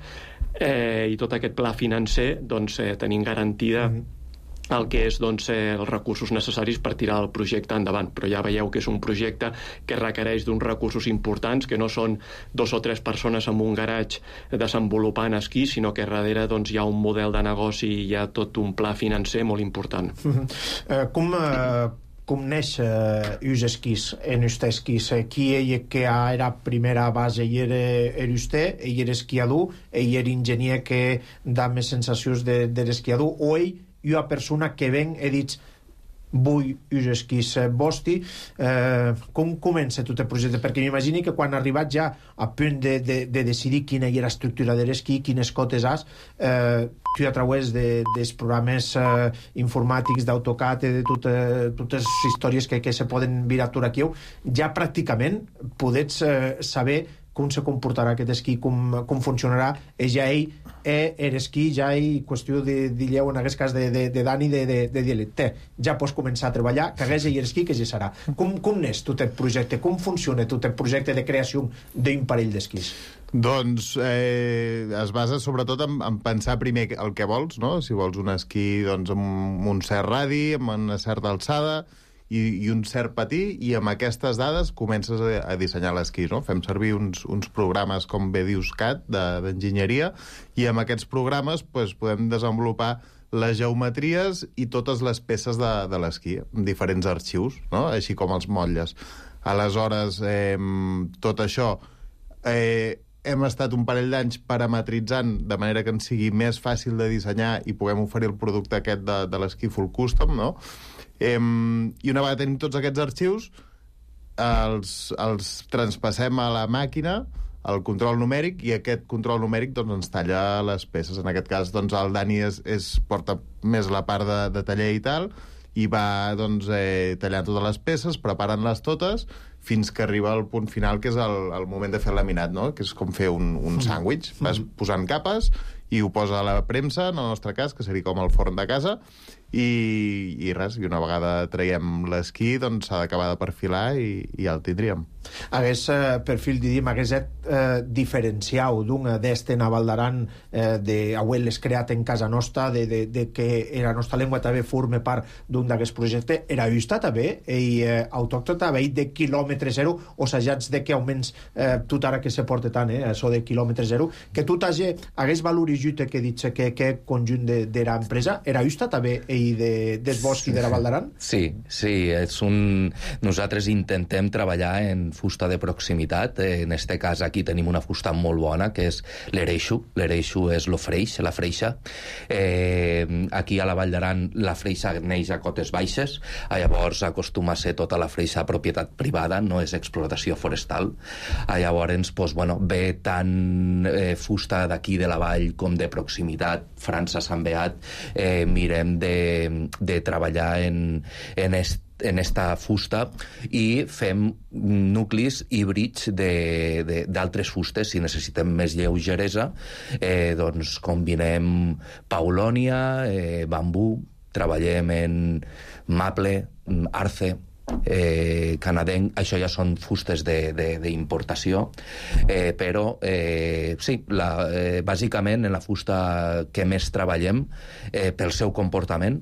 H: Eh, i tot aquest pla financer, doncs, eh, tenim garantida el que és doncs, eh, els recursos necessaris per tirar el projecte endavant. Però ja veieu que és un projecte que requereix d'uns recursos importants, que no són dos o tres persones en un garatge desenvolupant esquí, sinó que darrere doncs, hi ha un model de negoci i hi ha tot un pla financer molt important.
A: Uh-huh. uh, com... Uh... com neix uh, us esquís en usted esquís? Qui ell que era primera base i era, era usted, ell era esquiador, ell era enginyer que dà més sensacions de, de l'esquiador, o ell i una persona que ven i dit vull us esquís vostri. Eh, com comença tot el projecte? Perquè m'imagini que quan ha arribat ja a punt de, de, de decidir quina era l'estructura de l'esquí, quines cotes has, eh, tu a través de, dels programes eh, informàtics d'AutoCAD i de tot, eh, totes les històries que, que se poden virar tot aquí, ja pràcticament podets eh, saber com se comportarà aquest esquí, com, com funcionarà, i ja ell eh, era esquí, ja ell, qüestió de dir-lleu en aquest cas de, de, de Dani, de, de, de dir-li, ja pots començar a treballar, que hagués ell esquí, que ja serà. Com, com n'és tot el projecte? Com funciona tot el projecte de creació d'un parell d'esquís?
J: Doncs eh, es basa sobretot en, en pensar primer el que vols, no? Si vols un esquí doncs, amb un cert radi, amb una certa alçada, i, i un cert patí, i amb aquestes dades comences a, a dissenyar l'esquí, no? Fem servir uns, uns programes com bé dius C A D d'enginyeria, i amb aquests programes pues, podem desenvolupar les geometries i totes les peces de, de l'esquí, amb diferents arxius, no? Així com els motlles. Aleshores, eh, tot això eh, hem estat un parell d'anys parametritzant de manera que ens sigui més fàcil de dissenyar i puguem oferir el producte aquest de, de l'esquí full custom, no? Eh, I una vegada tenim tots aquests arxius, els, els traspassem a la màquina, al control numèric, i aquest control numèric doncs, ens talla les peces. En aquest cas, doncs, el Dani es, es porta més la part de, de taller i tal, i va doncs, eh, tallant totes les peces, preparant-les totes, fins que arriba al punt final, que és el, el moment de fer el laminat, no? Que és com fer un, un sàndwich. Vas posant capes i ho posa a la premsa, en el nostre cas, que seria com el forn de casa, i, i res, i una vegada traiem l'esquí, doncs s'ha d'acabar de perfilar i, i ja el tindríem.
A: Hagués eh, perfil, diríem, hagués eh, diferenciau d'un d'este Naval d'Aran eh, de auel·les creat en casa nostra, de, de, de que la nostra llengua també forme part d'un d'aquest projecte. Era justa també, i eh, autòctona també de quilòmetre zero, o assajats de que augments eh, tot ara que se porta tant, eh, això de quilòmetre zero, que tot hagi, hagués valorit que dit que, que conjunt de, de l'empresa, era justa també i de, del bosc i de la Val d'Aran?
I: Sí, sí, és un... nosaltres intentem treballar en fusta de proximitat. En este cas aquí tenim una fusta molt bona, que és l'ereixo. L'ereixo és lo freix, la freixa. Eh, aquí a la Vall d'Aran la freixa neix a cotes baixes, llavors acostuma a ser tota la freixa propietat privada, no és explotació forestal. Llavors, pues, bueno, ve tant eh, fusta d'aquí de la vall com de proximitat, França, Sant Beat, eh, mirem de de treballar en, en, est, en esta fusta, i fem nuclis híbrids d'altres fustes. Si necessitem més lleugeresa, eh, doncs combinem paulònia, eh, bambú, treballem en maple, arce, eh, canadenc. Això ja són fustes d'importació, eh, però eh, sí, la, eh, bàsicament en la fusta que més treballem eh, pel seu comportament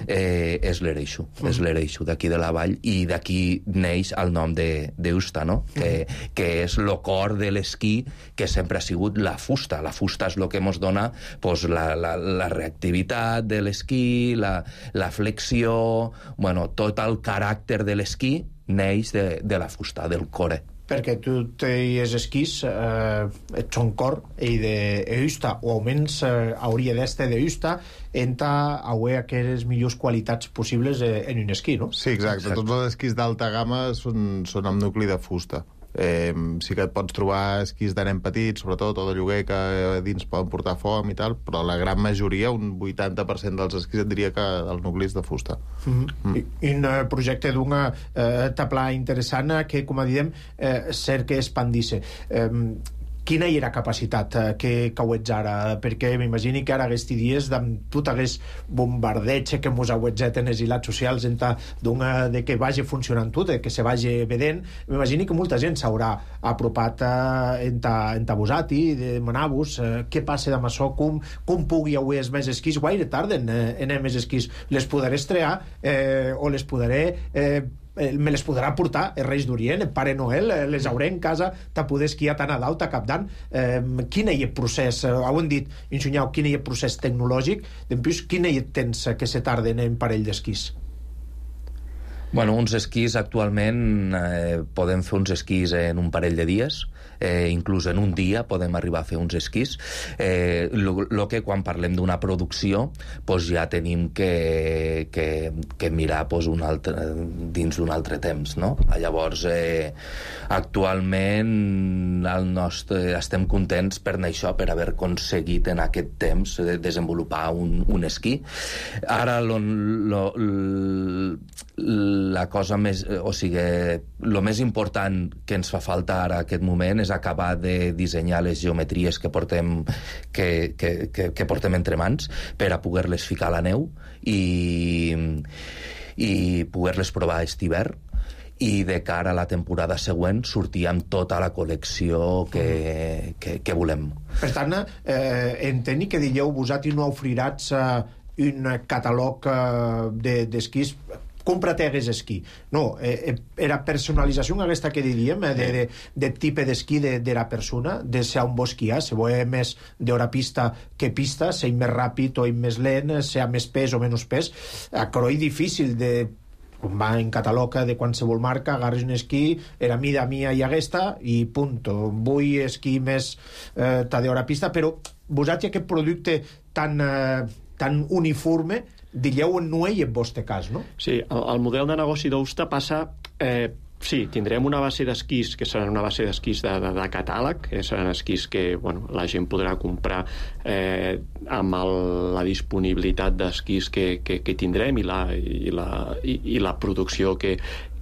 I: eh, és l'ereixo, uh-huh. és l'ereixo d'aquí de la vall, i d'aquí neix el nom d'Eusta, no? Uh-huh. que, que és el cor de l'esquí, que sempre ha sigut la fusta. La fusta és el que ens dona pues, la, la, la reactivitat de l'esquí, la, la flexió, bueno, tot el caràcter de l'esquí neix de, de la fusta, del core.
A: Perquè tu tens esquís, eh, ets un cor i d'Eusta, o almenys eh, hauria d'este d'Eusta, enta haver aquelles millors qualitats possibles eh, en un esquí, no?
J: Sí, exacte. exacte. Tots els esquís d'alta gamma són, són amb nucli de fusta. Eh, sí que et pots trobar esquís de nen petit, sobretot, o de lloguer, que dins poden portar foam i tal, però la gran majoria, un vuitanta per cent dels esquís, et diria que el nucli és de fusta.
A: Mm-hmm. Mm. I un projecte d'un eh, taplà interessant que, com a diem, eh, cert que expandisse. Eh, quina hi era capacitat eh, que, que ho ets ara? Perquè m'imagini que ara aquests dies amb tot aquest bombardeig que mos auetzet en les ilats socials d'una de que vagi funcionant tot, que se vagi vedent, m'imagini que molta gent s'haurà apropat eh, en ta, en ta vosati, de demanar-vos eh, què passa amb això, com, com pugui avui els més esquís, guaire tarden eh, en els més esquís, les poderé estrear eh, o les poderé eh, me les podrà portar els Reis d'Orient, el Pare Noel, les hauré en casa, te poder esquiar tant a dalt, a cap d'any. Eh, quin és el procés, eh, ho hem dit, Insunyau, quin és el procés tecnològic, després quin és el temps que se tarden en parell d'esquís?
I: Bueno, uns esquís actualment eh, podem fer uns esquís en un parell de dies, eh, inclús en un dia podem arribar a fer uns esquís. Eh, lo, lo que quan parlem d'una producció pues ja tenim que, que, que mirar pues, un altre, dins d'un altre temps, no? Llavors, eh, actualment el nostre, estem contents per això, per haver aconseguit en aquest temps de desenvolupar un, un esquí. Ara lo, lo, la cosa més, o sigui, el més important que ens fa falta ara aquest moment és acabar de dissenyar les geometries que portem, que, que, que, que portem entre mans per a poder-les ficar a la neu i, i poder-les provar aquest hivern, i de cara a la temporada següent sortir amb tota la col·lecció que, que, que volem.
A: Per tant, eh, entenc que dieu vosaltres no oferiràs eh, un catalog eh, d'esquís de, compra't hagués esquí. No, eh, era personalització aquesta que diríem, eh, de, de, de tipus d'esquí de, de la persona, de ser un bo esquiar, se vol més d'hora pista que pista, ser més ràpid o més lent, ser més pes o menys pes. Però és difícil de com va en catalog de qualsevol marca, agarres un esquí, era mida mia i aquesta, i punt. Vull esquí més eh, d'hora pista, però vosaltres aquest producte tan, eh, tan uniforme diríeu no hi ha el vostre cas, no?
H: Sí, el, el model de negoci d'Ousta passa... Eh, sí, tindrem una base d'esquís que seran una base d'esquís de, de, de catàleg, que seran esquís que bueno, la gent podrà comprar eh, amb el, la disponibilitat d'esquís que, que, que tindrem i la, i, la, i, i la producció que,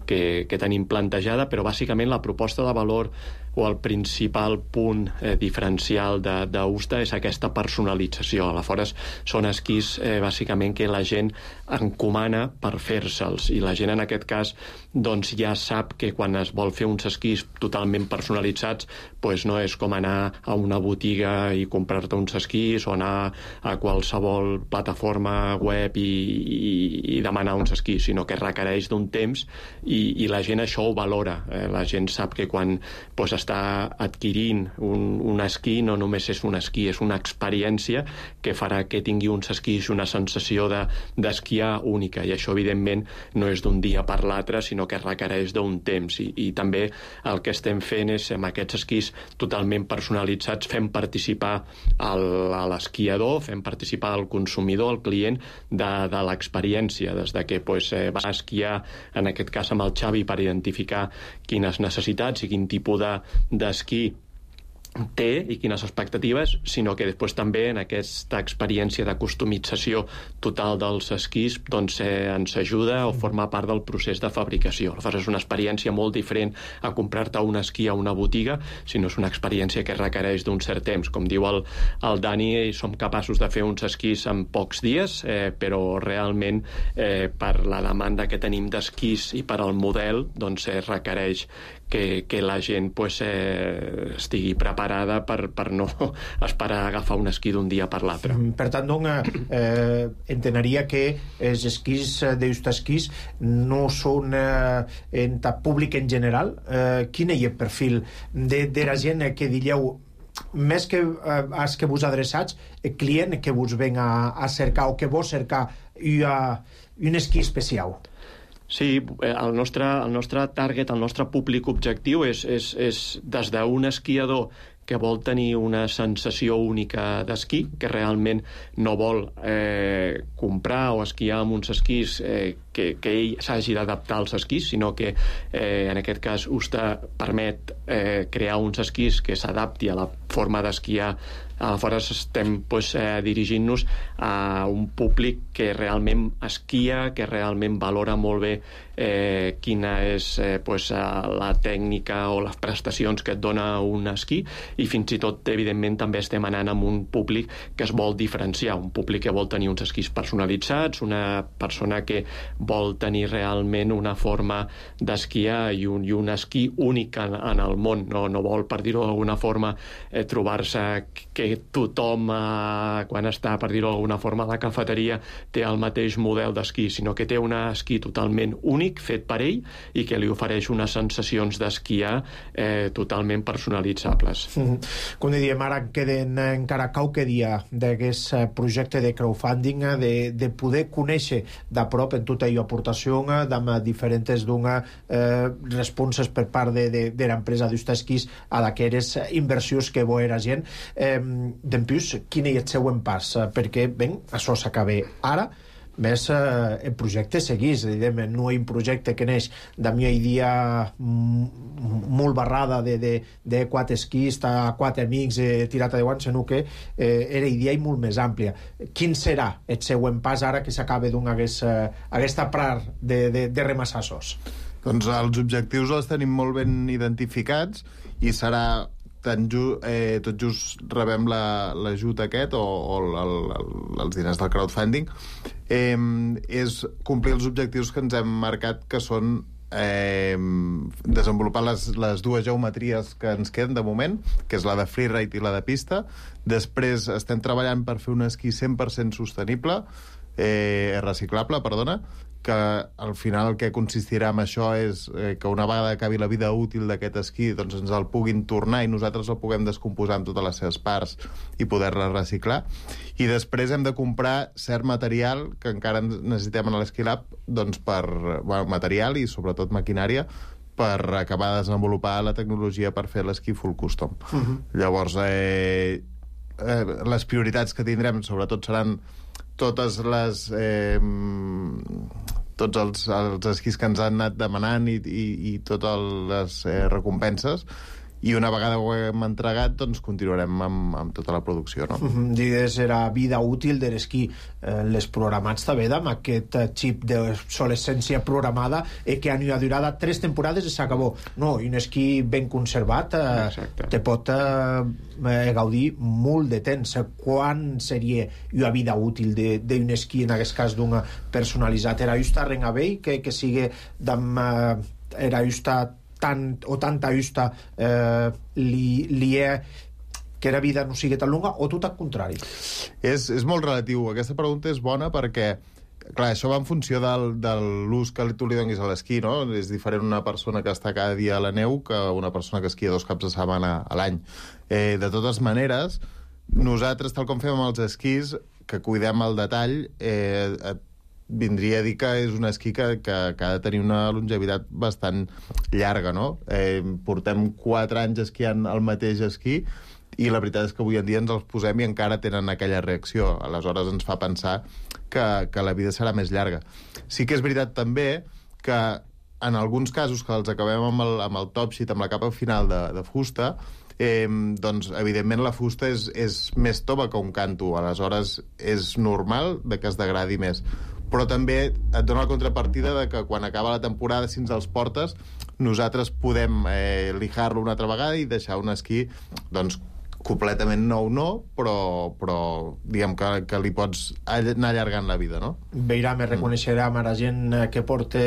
H: que, que tenim plantejada, però bàsicament la proposta de valor o el principal punt eh, diferencial d'Ousta és aquesta personalització. Aleshores, són esquís eh, bàsicament que la gent encomana per fer-se'ls, i la gent en aquest cas doncs, ja sap que quan es vol fer uns esquís totalment personalitzats doncs, no és com anar a una botiga i comprar-te uns esquís o anar a qualsevol plataforma web i, i, i demanar uns esquís, sinó que requereix d'un temps i, i la gent això ho valora. Eh, la gent sap que quan doncs, està adquirint un, un esquí no només és un esquí, és una experiència que farà que tingui uns esquís, una sensació de, d'esquiar única, i això evidentment no és d'un dia per l'altre, sinó que requereix d'un temps, i, i també el que estem fent és amb aquests esquís totalment personalitzats fem participar el, a l'esquiador, fem participar el consumidor, el client de, de l'experiència, des de que pues, eh, va esquiar en aquest cas amb el Xavi per identificar quines necessitats i quin tipus de d'esquí té i quines expectatives, sinó que després també en aquesta experiència de customització total dels esquís doncs eh, ens ajuda o forma part del procés de fabricació. Aleshores és una experiència molt diferent a comprar-te un esquí a una botiga, sinó és una experiència que requereix d'un cert temps. Com diu el, el Dani, som capaços de fer uns esquís en pocs dies, eh, però realment eh, per la demanda que tenim d'esquís i per al model doncs eh, requereix que, que la gent pues, eh, estigui preparada per, per no esperar a agafar un esquí d'un dia per l'altre.
A: Per tant, doncs, eh, entenaria que els esquís d'Ousta Esquís no són eh, en el públic en general. Eh, quin és el perfil de, de la gent que diríeu més que eh, als que vos adreçats, el client que vos ven a, a cercar o que vos cercar una, un esquí especial?
H: Sí, el nostre, el nostre target, el nostre públic objectiu és, és, és des d'un esquiador que vol tenir una sensació única d'esquí, que realment no vol eh, comprar o esquiar amb uns esquís eh, que, que ell s'hagi d'adaptar als esquís, sinó que eh, en aquest cas Usta permet eh, crear uns esquís que s'adapti a la forma d'esquiar. Aleshores estem pues, eh, dirigint-nos a un públic que realment esquia, que realment valora molt bé eh, quina és eh, pues, la tècnica o les prestacions que et dona un esquí, i fins i tot, evidentment, també estem anant amb un públic que es vol diferenciar, un públic que vol tenir uns esquís personalitzats, una persona que vol tenir realment una forma d'esquiar i un, i un esquí únic en, en el món, no, no vol, per dir-ho d'alguna forma, eh, trobar-se que tothom, eh, quan està, per dir-ho d'alguna forma, a la cafeteria té el mateix model d'esquí, sinó que té un esquí totalment únic, fet per ell, i que li ofereix unes sensacions d'esquiar eh, totalment personalitzables.
A: Mm-hmm. Com dèiem, ara queden encara qualque dia d'aquest projecte de crowdfunding, de, de poder conèixer de prop en tota aquesta aportació amb diferents d'una eh, responses per part de, de, de l'empresa d'Usta Esquís a d'aquelles inversions que bo era gent. Eh, Dempús, quin és el següent pas? Perquè, ben, això s'acaba ara, més eh, el projecte seguís, evidentment, no hi ha un projecte que neix de mi dia molt barrada de, de, de quatre esquís, quatre amics eh, tirat a deu anys, sinó que eh, era idea molt més àmplia. Quin serà el següent pas ara que s'acaba d'una aquesta eh, part de, de, de remassassos?
J: Doncs els objectius els tenim molt ben identificats i serà tan ju, eh, tot just rebem l'ajut la, aquest o, o el, el, els diners del crowdfunding, eh, és complir els objectius que ens hem marcat, que són eh, desenvolupar les, les dues geometries que ens queden de moment, que és la de freeride i la de pista. Després estem treballant per fer un esquí cent per cent sostenible, eh, reciclable, perdona, que al final el que consistirà en això és eh, que una vegada acabi la vida útil d'aquest esquí, doncs ens el puguin tornar i nosaltres el puguem descomposar en totes les seves parts i poder-la reciclar. I després hem de comprar cert material que encara necessitem en l'Esquilab, doncs per bueno, material i sobretot maquinària per acabar de desenvolupar la tecnologia per fer l'esquí full custom. Uh-huh. Llavors, eh, eh, les prioritats que tindrem sobretot seran totes les eh, tots els, els esquís que ens han anat demanant i, i, i totes les eh, recompenses, i una vegada ho hem entregat, doncs continuarem amb, amb tota la producció, no?
A: Uh-huh. Digues, era vida útil de l'esquí. Eh, les programats també amb aquest xip d'obsolescència programada eh, que han durat tres temporades i s'acabó. No, un esquí ben conservat eh, te pot eh, gaudir molt de temps. Quan seria una vida útil d'un esquí, en aquest cas d'una personalitzat? Era just a Rengavell, que, que sigui d'am, eh, era just a tant o tanta justa eh, li, li è que la vida no sigui tan longa, o tot al contrari?
J: És, és molt relatiu. Aquesta pregunta és bona perquè, clar, això va en funció del, de l'ús que tu li donis a l'esquí, no? És diferent una persona que està cada dia a la neu que una persona que esquia dos caps de setmana a l'any. Eh, de totes maneres, nosaltres, tal com fem amb els esquís, que cuidem el detall, eh, vindria a dir que és un esquí que, que, que ha de tenir una longevitat bastant llarga, no? Eh, portem quatre anys esquiant el mateix esquí i la veritat és que avui en dia ens els posem i encara tenen aquella reacció. Aleshores ens fa pensar que, que la vida serà més llarga. Sí que és veritat també que en alguns casos que els acabem amb el, amb el top sheet, amb la capa final de, de fusta, eh, doncs evidentment la fusta és, és més tova que un canto. Aleshores és normal de que es degradi més. Però també et dona la contrapartida de que quan acaba la temporada, si ens els portes, nosaltres podem eh, lijar-lo una altra vegada i deixar un esquí, doncs, completament nou no, però, però diguem que, que li pots anar allargant la vida, no?
A: Veurà, me reconeixerà a la gent que porta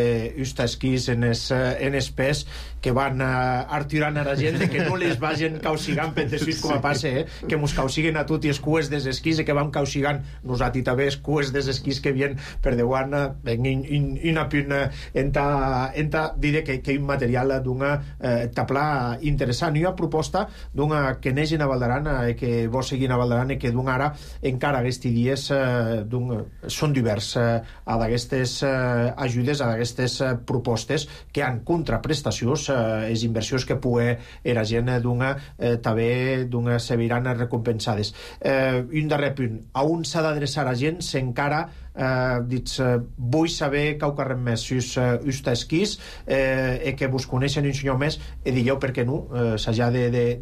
A: Usta Esquís en es, en es pes, que van uh, artirant a la gent de que no les vagin causigant per dessuit com a passe, eh? Que mos causiguen a tot i els cues des esquís i que vam causigant nosaltres també els cues des esquís que vien per deuant venguin una puna enta, enta diré que, que un material d'una eh, tabla interessant. I una proposta d'una que neix en a Valderan, que vos seguint a Valderan i que d'un ara encara aquests dies eh, són divers eh, a d'aquestes eh, ajudes, a d'aquestes eh, propostes que han contraprestacions, eh, les inversions que pugui era gent d'una eh, també d'una se veiran recompensades. Eh, un darrer punt, a on s'ha d'adreçar a gent si encara eh, dits, eh, vull saber que ho carrem més si us, uh, us esquís eh, e que vos coneixen un senyor més e digueu per què no eh, s'hagi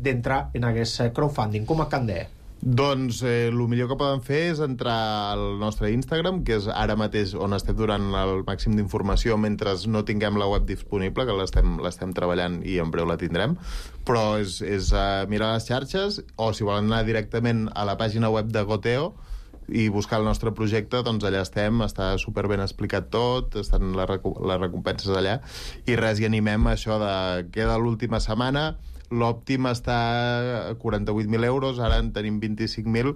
A: d'entrar de, de, en aquest crowdfunding. Com a candè?
J: Doncs eh, el millor que poden fer és entrar al nostre Instagram, que és ara mateix on estem donant el màxim d'informació mentre no tinguem la web disponible, que l'estem l'estem treballant i en breu la tindrem, però és, és uh, mirar les xarxes, o si volen anar directament a la pàgina web de Goteo i buscar el nostre projecte, doncs allà estem, està super ben explicat tot, estan les, recu les recompenses allà, i res, i animem això de queda l'última setmana. L'òptim està a quaranta-vuit mil euros, ara en tenim vint-i-cinc mil.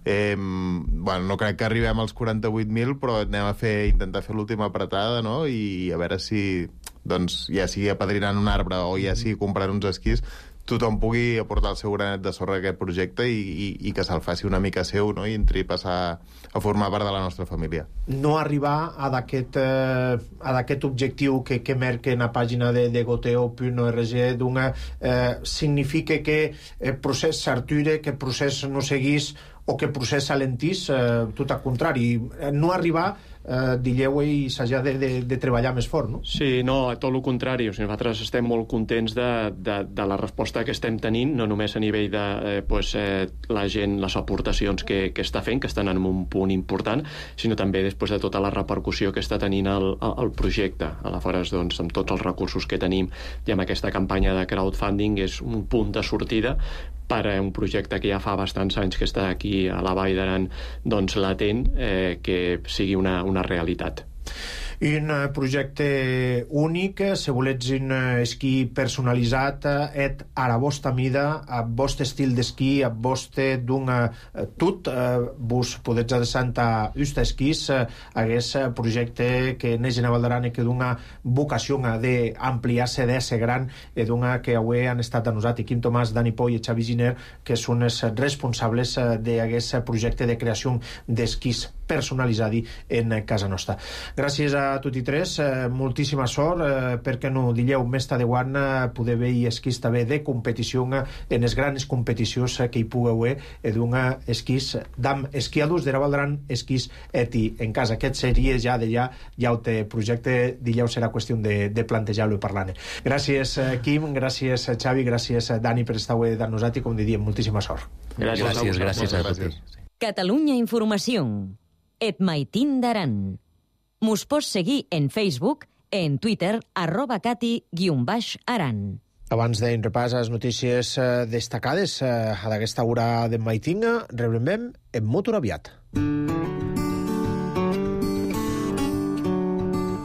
J: Eh, bueno, no crec que arribem als quaranta-vuit mil, però anem a fer, intentar fer l'última apretada, no? I a veure si, doncs, ja sigui apadrinant un arbre o ja sigui comprant uns esquís, tothom pugui aportar el seu granet de sorra a aquest projecte i, i, i que se'l faci una mica seu, no? I entri a passar a formar part de la nostra família.
A: No arribar a d'aquest eh, a d'aquest objectiu que, que merca en la pàgina de, de goteo punt org d'una eh, significa que el procés s'arture, que el procés no seguís o que el procés s'alentís, eh, tot al contrari, no arribar eh, digueu i s'hagi de, de, de treballar més fort, no?
H: Sí, no, tot el contrari. O sigui, nosaltres estem molt contents de, de, de la resposta que estem tenint, no només a nivell de eh, pues, eh, la gent, les aportacions que, que està fent, que estan en un punt important, sinó també després de tota la repercussió que està tenint el, el projecte. Aleshores, doncs, amb tots els recursos que tenim i amb aquesta campanya de crowdfunding és un punt de sortida per a un projecte que ja fa bastants anys que està aquí a la Vall d'Aran, doncs latent, eh, que sigui una, una realitat.
A: Un projecte únic, si volets un esquí personalitzat, et a la vostra mida, a vostre estil d'esquí, a vostre d'un tot, vos podets adreçar a Usta Esquís, aquest projecte que neix en Vall d'Aran i que d'una vocació d'ampliar-se, d'ésser gran, i d'una que avui han estat a nosaltres, Quim Tomàs, Dani Poy i Xavi Giner, que són els responsables d'aquest projecte de creació d'esquís personalitzat en casa nostra. Gràcies a tots i tres, eh, moltíssima sort, eh, perquè no dilleu més tadeuant eh, poder veure esquís també de competició eh, en les grans competicions eh, que hi pugueu haver eh, d'un esquís d'am esquiadors de la Vall d'Aran, esquís eti en casa. Aquest seria ja d'allà, ja el té projecte, dilleu serà qüestió de, de plantejar-lo i parlar-ne. Gràcies eh, Quim, gràcies eh, Xavi, gràcies eh, Dani per estar avui amb nosaltres i com diríem, moltíssima sort.
F: Gràcies, gràcies, gràcies a tots.
B: Catalunya Informació. Et Maitín d'Aran. Mos pots seguir en Facebook, en Twitter, arroba cati guion baix aran.
A: Abans d'un repàs a les notícies eh, destacades eh, a d'aquesta hora d'en Maitín, rebrem en motor aviat.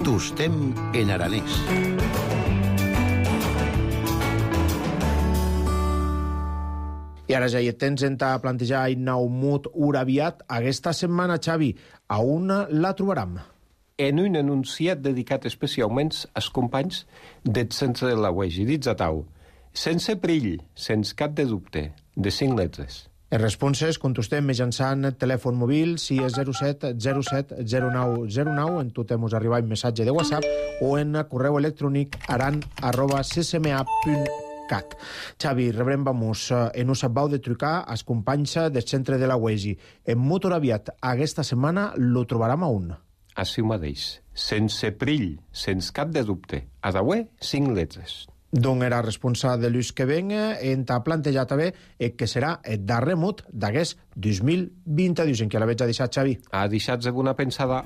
G: Tostem en aranès.
A: I ara ja hi tens a plantejar un nou mut uraviat. Aquesta setmana, Xavi, a on la trobarem?
C: En un anunciat dedicat especialment als companys del centre de la U E G I, dits a tau, sense perill, sense cap de dubte, de cinc lletres.
A: Els responses contestem mitjançant telèfon mòbil si és zero set zero set zero nou zero nou, en tot hem arribat un missatge de WhatsApp o en correu electrònic aran arroba c c m a punt cat. Xavi, rebrem vamos en us sabau de trucar als companys del centre de la U E G I. En motor aviat, aquesta setmana lo trobarem a un.
C: Així mateix, sense perill, sense cap de dubte. A d'avui, cinc lletres.
A: D'on era responsable de l'ús que venga, en t'ha plantejat també que serà el darrer mut d'aquest dos mil vint-i-dos, en què la veig a deixar, Xavi?
C: Ha deixat de bona pensada.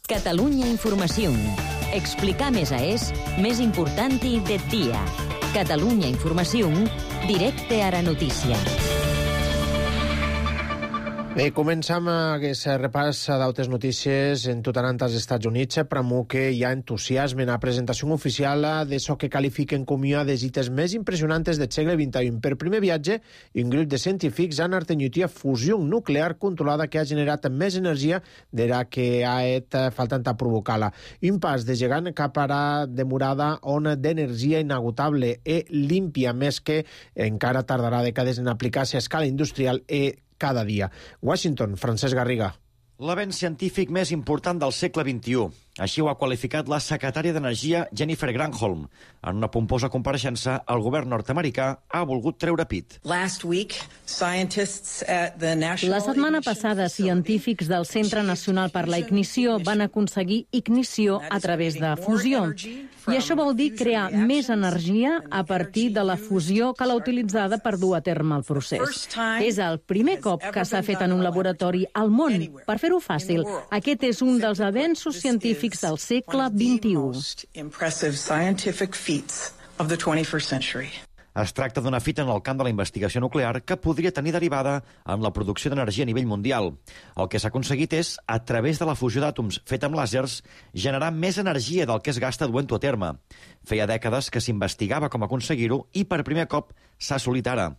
B: Catalunya Informació. Explicar més a és més important i de dia. Catalunya Informació, directe a la notícia.
A: Bé, començam aquest repàs d'altres notícies en tot anant als Estats Units, però que hi ha entusiasme en la presentació oficial d'això que qualifiquen com una de les cites més impressionantes del segle vint-i-u. Per primer viatge, un grup de científics han artenyut una fusió nuclear controlada que ha generat més energia de la que ha estat faltant a provocar-la. Un pas de gegant cap a la demorada ona d'energia inagotable i límpia, més que encara tardarà dècades en aplicar-se a escala industrial i cada dia. Washington, Francesc Garriga.
K: L'avenç científic més important del segle vint-i-u. Així ho ha qualificat la secretària d'Energia Jennifer Granholm. En una pomposa compareixença, el govern nord-americà ha volgut treure pit.
L: La setmana passada, científics del Centre Nacional per la Ignició van aconseguir ignició a través de fusió. I això vol dir crear més energia a partir de la fusió que la utilitzada per dur a terme el procés. És el primer cop que s'ha fet en un laboratori al món. Per fer-ho fàcil, aquest és un dels avenços científics del segle vint-i-u.
K: Es tracta d'una fita en el camp de la investigació nuclear que podria tenir derivada en la producció d'energia a nivell mundial. El que s'ha aconseguit és, a través de la fusió d'àtoms feta amb làsers, generar més energia del que es gasta duent-ho a terme. Feia dècades que s'investigava com aconseguir-ho i per primer cop s'ha assolit ara.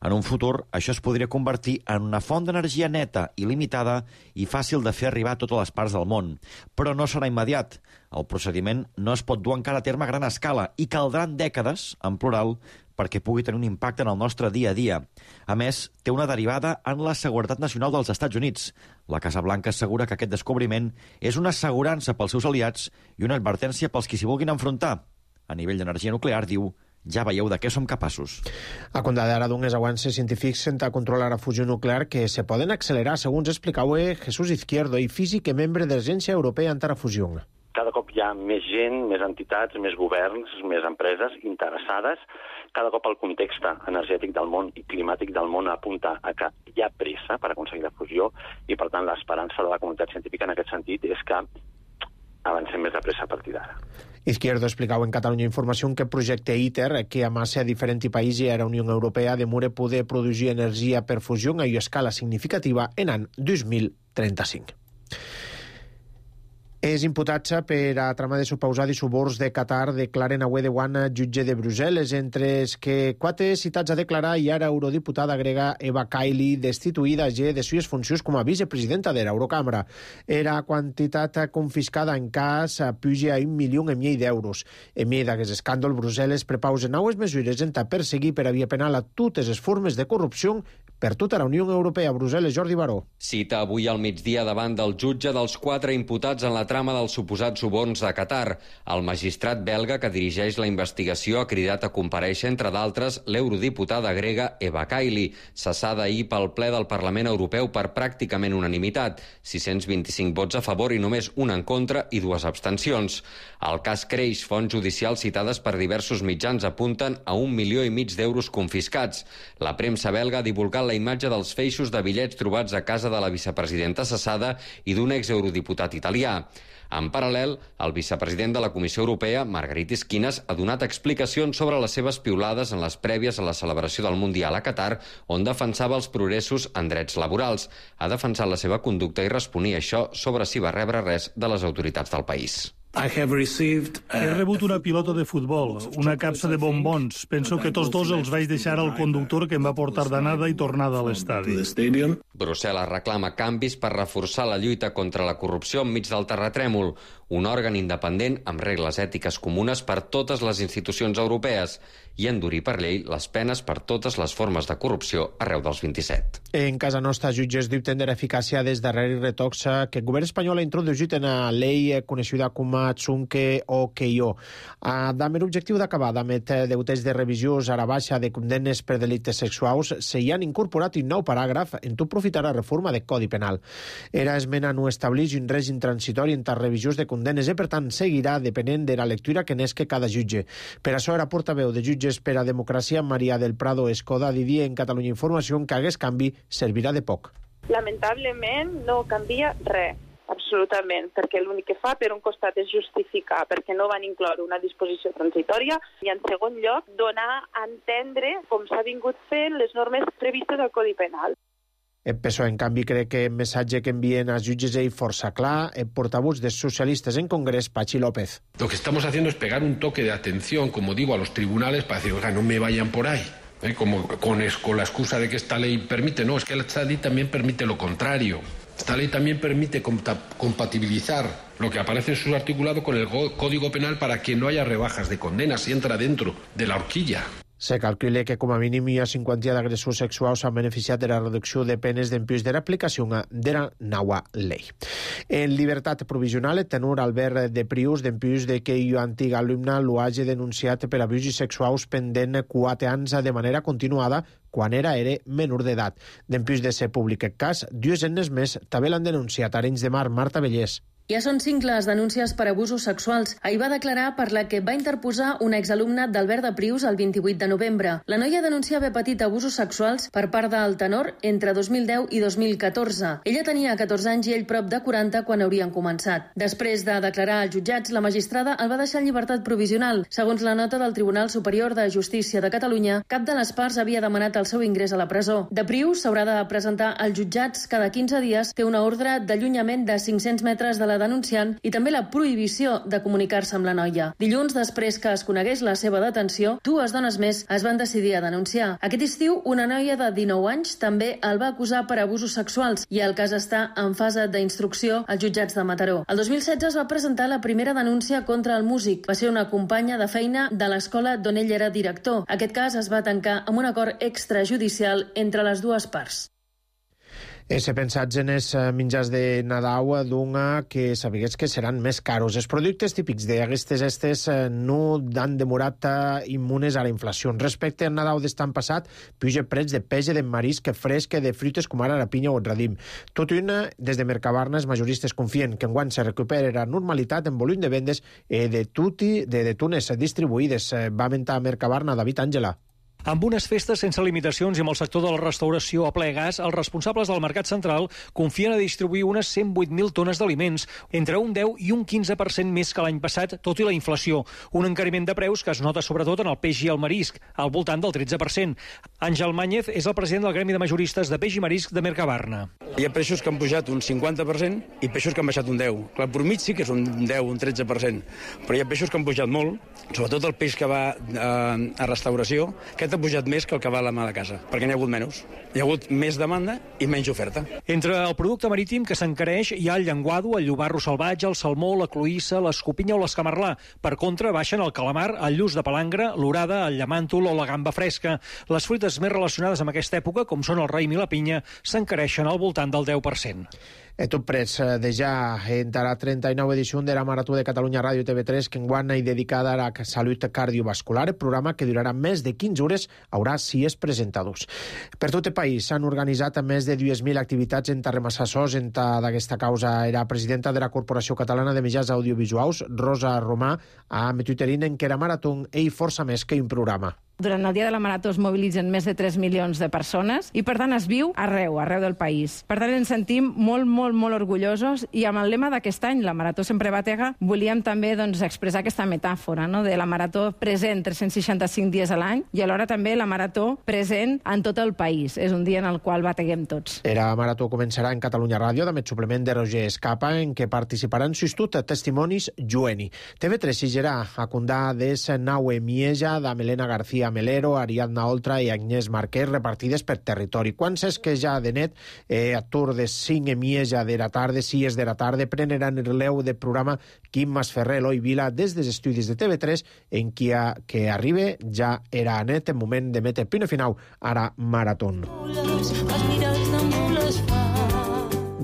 K: En un futur, això es podria convertir en una font d'energia neta, il·limitada i fàcil de fer arribar a totes les parts del món. Però no serà immediat. El procediment no es pot dur encara a terme a gran escala i caldran dècades, en plural, perquè pugui tenir un impacte en el nostre dia a dia. A més, té una derivada en la seguretat nacional dels Estats Units. La Casa Blanca assegura que aquest descobriment és una assegurança pels seus aliats i una advertència pels qui s'hi vulguin enfrontar. A nivell d'energia nuclear, diu, ja veieu de què som capaços.
A: A compte d'ara d'uns avanços científics sense controlar la fusió nuclear que se poden accelerar, segons explicava Jesús Izquierdo, i físic i membre de l'Agència Europea Antarafusió.
M: Cada cop hi ha més gent, més entitats, més governs, més empreses interessades. Cada cop el context energètic del món i climàtic del món apunta a que hi ha pressa per aconseguir la fusió i, per tant, l'esperança de la comunitat científica en aquest sentit és que avancem més de pressa a partir d'ara.
A: Izquierdo explicava en Catalunya Informació que el projecte ITER, que amassa a diferents països i a la Unió Europea, demora poder produir energia per fusió a escala significativa en l'any dos mil trenta-cinc. És imputat per a trama de suposat i suborns de Qatar, declaren avui de Guana, jutge de Brussel·les, entre els que quatre citats a declarar i ara eurodiputada grega Eva Kaili, destituïda ja de sues funcions com a vicepresidenta de l'Eurocambra. Era quantitat confiscada en cas puja a un milió i mig d'euros. En mi d'aquest escàndol, Brussel·les prepausa noves mesures en perseguir per a via penal a totes les formes de corrupció per tota la Unió Europea. Brussel·les, Jordi Baró.
N: Cita avui al migdia davant del jutge dels quatre imputats en la trama dels suposats suborns de Qatar. El magistrat belga que dirigeix la investigació ha cridat a comparèixer, entre d'altres, l'eurodiputada grega Eva Kaili, cessada ahir pel ple del Parlament Europeu per pràcticament unanimitat, sis-cents vint-i-cinc vots a favor i només un en contra i dues abstencions. El cas creix. Fonts judicials citades per diversos mitjans apunten a un milió i mig d'euros confiscats. La premsa belga ha divulgat la imatge dels feixos de bitllets trobats a casa de la vicepresidenta cessada i d'un exeurodiputat italià. En paral·lel, el vicepresident de la Comissió Europea, Margaritis Schinas, ha donat explicacions sobre les seves piulades en les prèvies a la celebració del Mundial a Qatar, on defensava els progressos en drets laborals. Ha defensat la seva conducta i responia això sobre si va rebre res de les autoritats del país.
O: I have received, uh... He rebut una pilota de futbol, una capsa de bombons. Penso que tots dos els vaig deixar al conductor que em va portar d'anada i tornada a l'estadi.
N: Brussel·les reclama canvis per reforçar la lluita contra la corrupció enmig del terratrèmol, un òrgan independent amb regles ètiques comunes per totes les institucions europees i endurir per llei les penes per totes les formes de corrupció arreu dels vint-i-set.
A: En casa nostra, jutges dubten de l'eficàcia des darrere retoxa que el govern espanyol ha introduït en la llei coneguda com a Tsunke o Keio. Amb l'objectiu d'acabar amb deutes de revisió a la baixa de condemnes per delictes sexuals, s'hi han incorporat un nou paràgraf en tot profitar la reforma del Codi Penal. Era esmena no estableix un règim transitori entre revisions de condemnes i, per tant, seguirà depenent de la lectura que n'esque cada jutge. Per això, era portaveu de Jutges per a Democràcia, Maria del Prado Escoda, diria en Catalunya Informació que aquest canvi servirà de poc.
P: Lamentablement no canvia res, absolutament, perquè l'únic que fa per un costat és justificar perquè no van incloure una disposició transitòria i, en segon lloc, donar a entendre com s'ha vingut fent les normes previstes al Codi Penal.
A: El P S O E, en canvi, cree que el missatge que envien als jutges és força clar. El portavoz de socialistes en Congrés, Pachi López.
Q: Lo que estamos haciendo es pegar un toque de atención, como digo, a los tribunales para decir, oiga, no me vayan por ahí. ¿Eh? Como con, con la excusa de que esta ley permite. No, es que esta ley también permite lo contrario. Esta ley también permite compatibilizar lo que aparece en su articulado con el Código Penal para que no haya rebajas de condenas y entra dentro de la horquilla.
A: Se calcula que com a mínim hi ha cinquanta d'agressors sexuals s'han beneficiat de la reducció de penes d'empús de l'aplicació de la nova llei. En llibertat provisional, el tenor Albert de Prius d'empús de que jo antic alumne lo hagi denunciat per abusos sexuals pendent quatre anys de manera continuada quan era era menor d'edat. D'empús de ser públic el cas, dues enes més també l'han denunciat a Arenys de Mar, Marta Bellés.
R: Ja són cinc les denúncies per abusos sexuals. Ahir va declarar per la que va interposar un exalumne d'Albert de Prius el vint-i-vuit de novembre. La noia denuncia haver patit abusos sexuals per part del tenor entre dos mil deu i dos mil catorze. Ella tenia catorze anys i ell prop de quaranta quan haurien començat. Després de declarar als jutjats, la magistrada el va deixar en llibertat provisional. Segons la nota del Tribunal Superior de Justícia de Catalunya, cap de les parts havia demanat el seu ingrés a la presó. De Prius s'haurà de presentar als jutjats cada quinze dies, té una ordre d'allunyament de cinc-cents metres de la denunciant i també la prohibició de comunicar-se amb la noia. Dilluns, després que es conegués la seva detenció, dues dones més es van decidir a denunciar. Aquest estiu, una noia de dinou anys també el va acusar per abusos sexuals i el cas està en fase d'instrucció als jutjats de Mataró. El dos mil setze es va presentar la primera denúncia contra el músic. Va ser una companya de feina de l'escola d'on ell era director. Aquest cas es va tancar amb un acord extrajudicial entre les dues parts.
A: Se pensats en els menjars de Nadal d'una que sabigués que seran més caros. Els productes típics d'aquestes estes no han demorat immunes a la inflació. Respecte al Nadal d'estan passat, puja preus de peix de marisc fresc de fruites com ara la pinya o el radim. Tot i una, des de Mercabarna, els majoristes confien que enguany se recupera la normalitat en volum de vendes de, tuti, de, de tunes distribuïdes. Va aventar Mercabarna David Àngela.
S: Amb unes festes sense limitacions i amb el sector de la restauració a ple gas, els responsables del Mercat Central confien a distribuir unes cent vuit mil tones d'aliments, entre un deu i un quinze per cent més que l'any passat, tot i la inflació. Un encariment de preus que es nota sobretot en el peix i el marisc, al voltant del tretze per cent. Àngel Màñez és el president del Gremi de Majoristes de Peix i Marisc de Mercabarna.
T: Hi ha peixos que han pujat un cinquanta per cent i peixos que han baixat un deu. Clar, per mig sí que és un deu, un tretze per cent, però hi ha peixos que han pujat molt, sobretot el peix que va eh, a restauració, que ha pujat més que el que va a la mà de casa, perquè n'hi ha hagut menys. Hi ha hagut més demanda i menys oferta.
S: Entre el producte marítim que s'encareix hi ha el llenguado, el llobarro salvatge, el salmó, la cloïssa, l'escopinya o l'escamarlà. Per contra, baixen el calamar, el lluç de palangre, l'orada, el llamàntol o la gamba fresca. Les fruites més relacionades amb aquesta època, com són el raïm i la pinya, s'encareixen al voltant del deu per cent.
A: Et tot prets de ja entre la trenta-nova edició de la Marató de Catalunya Ràdio T V tres que enguany hi dedicada a la salut cardiovascular, el programa que durarà més de quinze hores haurà sis presentadors. Per tot el país s'han organitzat més de dues mil activitats en Tarremassassos. En d'aquesta causa era presidenta de la Corporació Catalana de Mitjans Audiovisuals, Rosa Romà, a Tuiterin en que la Marató ell força més que un programa.
U: Durant el dia de la Marató es mobilitzen més de tres milions de persones i, per tant, es viu arreu, arreu del país. Per tant, ens sentim molt, molt, molt orgullosos i amb el lema d'aquest any, la Marató sempre batega, volíem també doncs, expressar aquesta metàfora, no?, de la Marató present tres-cents seixanta-cinc dies a l'any i alhora també la Marató present en tot el país. És un dia en el qual bateguem tots.
A: La Marató començarà en Catalunya Ràdio, amb el suplement de Roger Escapa, en què participaran sostut testimonis jueni. T V tres s'higerà a condar des Naue Mieja, de Melena García Melero, Ariadna Oltra i Agnès Marquès, repartides per territori. Quan és que ja de net, eh, a tour de cinc e mieja de la tarda, sis de la tarda, preneran el relleu del programa Quim Masferrer, Eloi Vila, des dels estudis de T V tres, en qui a, que arriba ja era a net en moment de metre punt final ara Maratón.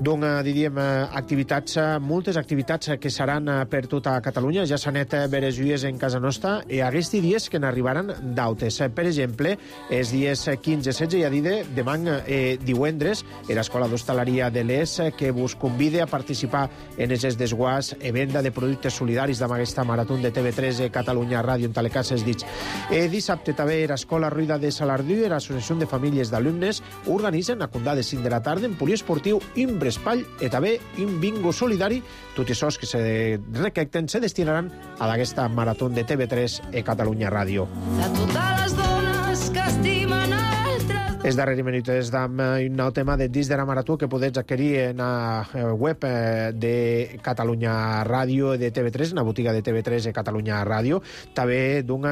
A: Doncs diríem activitats, moltes activitats que seran per tota Catalunya. Ja s'han net veres dies en casa nostra i aquests dies que n'arribaran d'autes. Per exemple, els dies quinze i setze, ja diré, demà eh, divendres, l'Escola d'Hostaleria de l'Es que vos convida a participar en els desguàs e venda de productes solidaris amb aquesta marató de T V tres Catalunya Ràdio en Talecasses dits. Eh, dissabte també l'Escola Ruïda de Salardú i l'Associació de Famílies d'Alumnes organitzen a condar de cinc de la tarda en poliesportiu Imbre Espall i també un bingo solidari. Tots els sos que se recapten se destinaran a aquesta marató de T V tres i Catalunya Ràdio.
V: De totes les dones que estimen altres...
A: Els darrers minuts és d'un nou tema de disc de la marató que podeu adquirir en la web de Catalunya Ràdio de T V tres, en la botiga de T V tres de Catalunya Ràdio. També d'un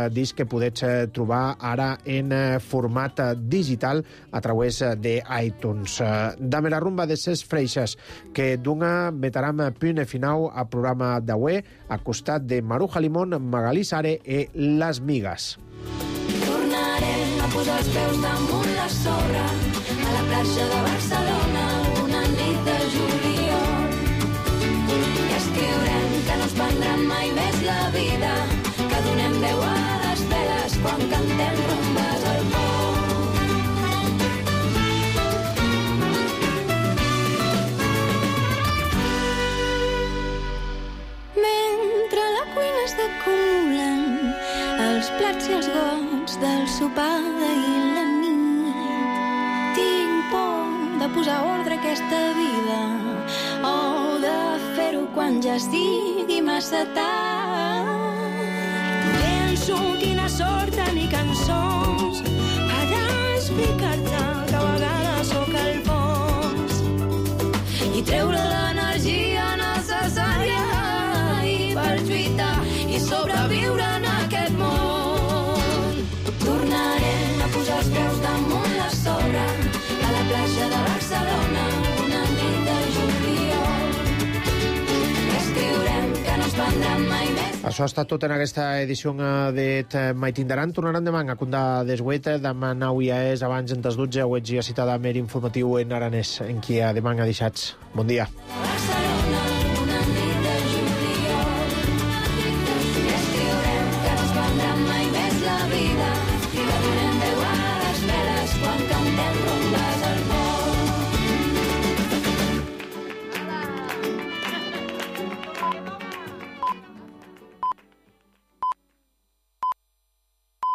A: disc que podeu trobar ara en format digital a través d'iTunes. Dame la rumba de ses freixes, que d'una vetaram punt final al programa d'avui, a costat de Maruja Limón, Magalí Sare i Les Migas.
V: posar els peus damunt la sorra a la platja de Barcelona una nit de juliol. I escriurem que no ens prendrà mai més la vida, que donem veu a les veles quan cantem rumbes al pont. Mentre a la cuina es acumulen els plats i els gots del sopar d'ahir la nit, tinc por de posar ordre a aquesta vida o de fer-ho quan ja estigui massa tard. Penso quina sort tenir cançons allà explicar-te que a vegades sóc el fons i treure l'energia necessària per lluitar i sobreviure en aquest món. Tornarem a posar els peus damunt la sorra a la platja de Barcelona una nit de juliol. I escriurem que no ens prendrà mai més.
A: Això ha estat tot en aquesta edició de Mai Tindaran. Tornaran demà a Cundà d'Esgueta. Demà nau ja és abans en tas dotze. Ho ets ja citada a Mer informatiu en aranès, en qui demà ha deixats. Bon dia.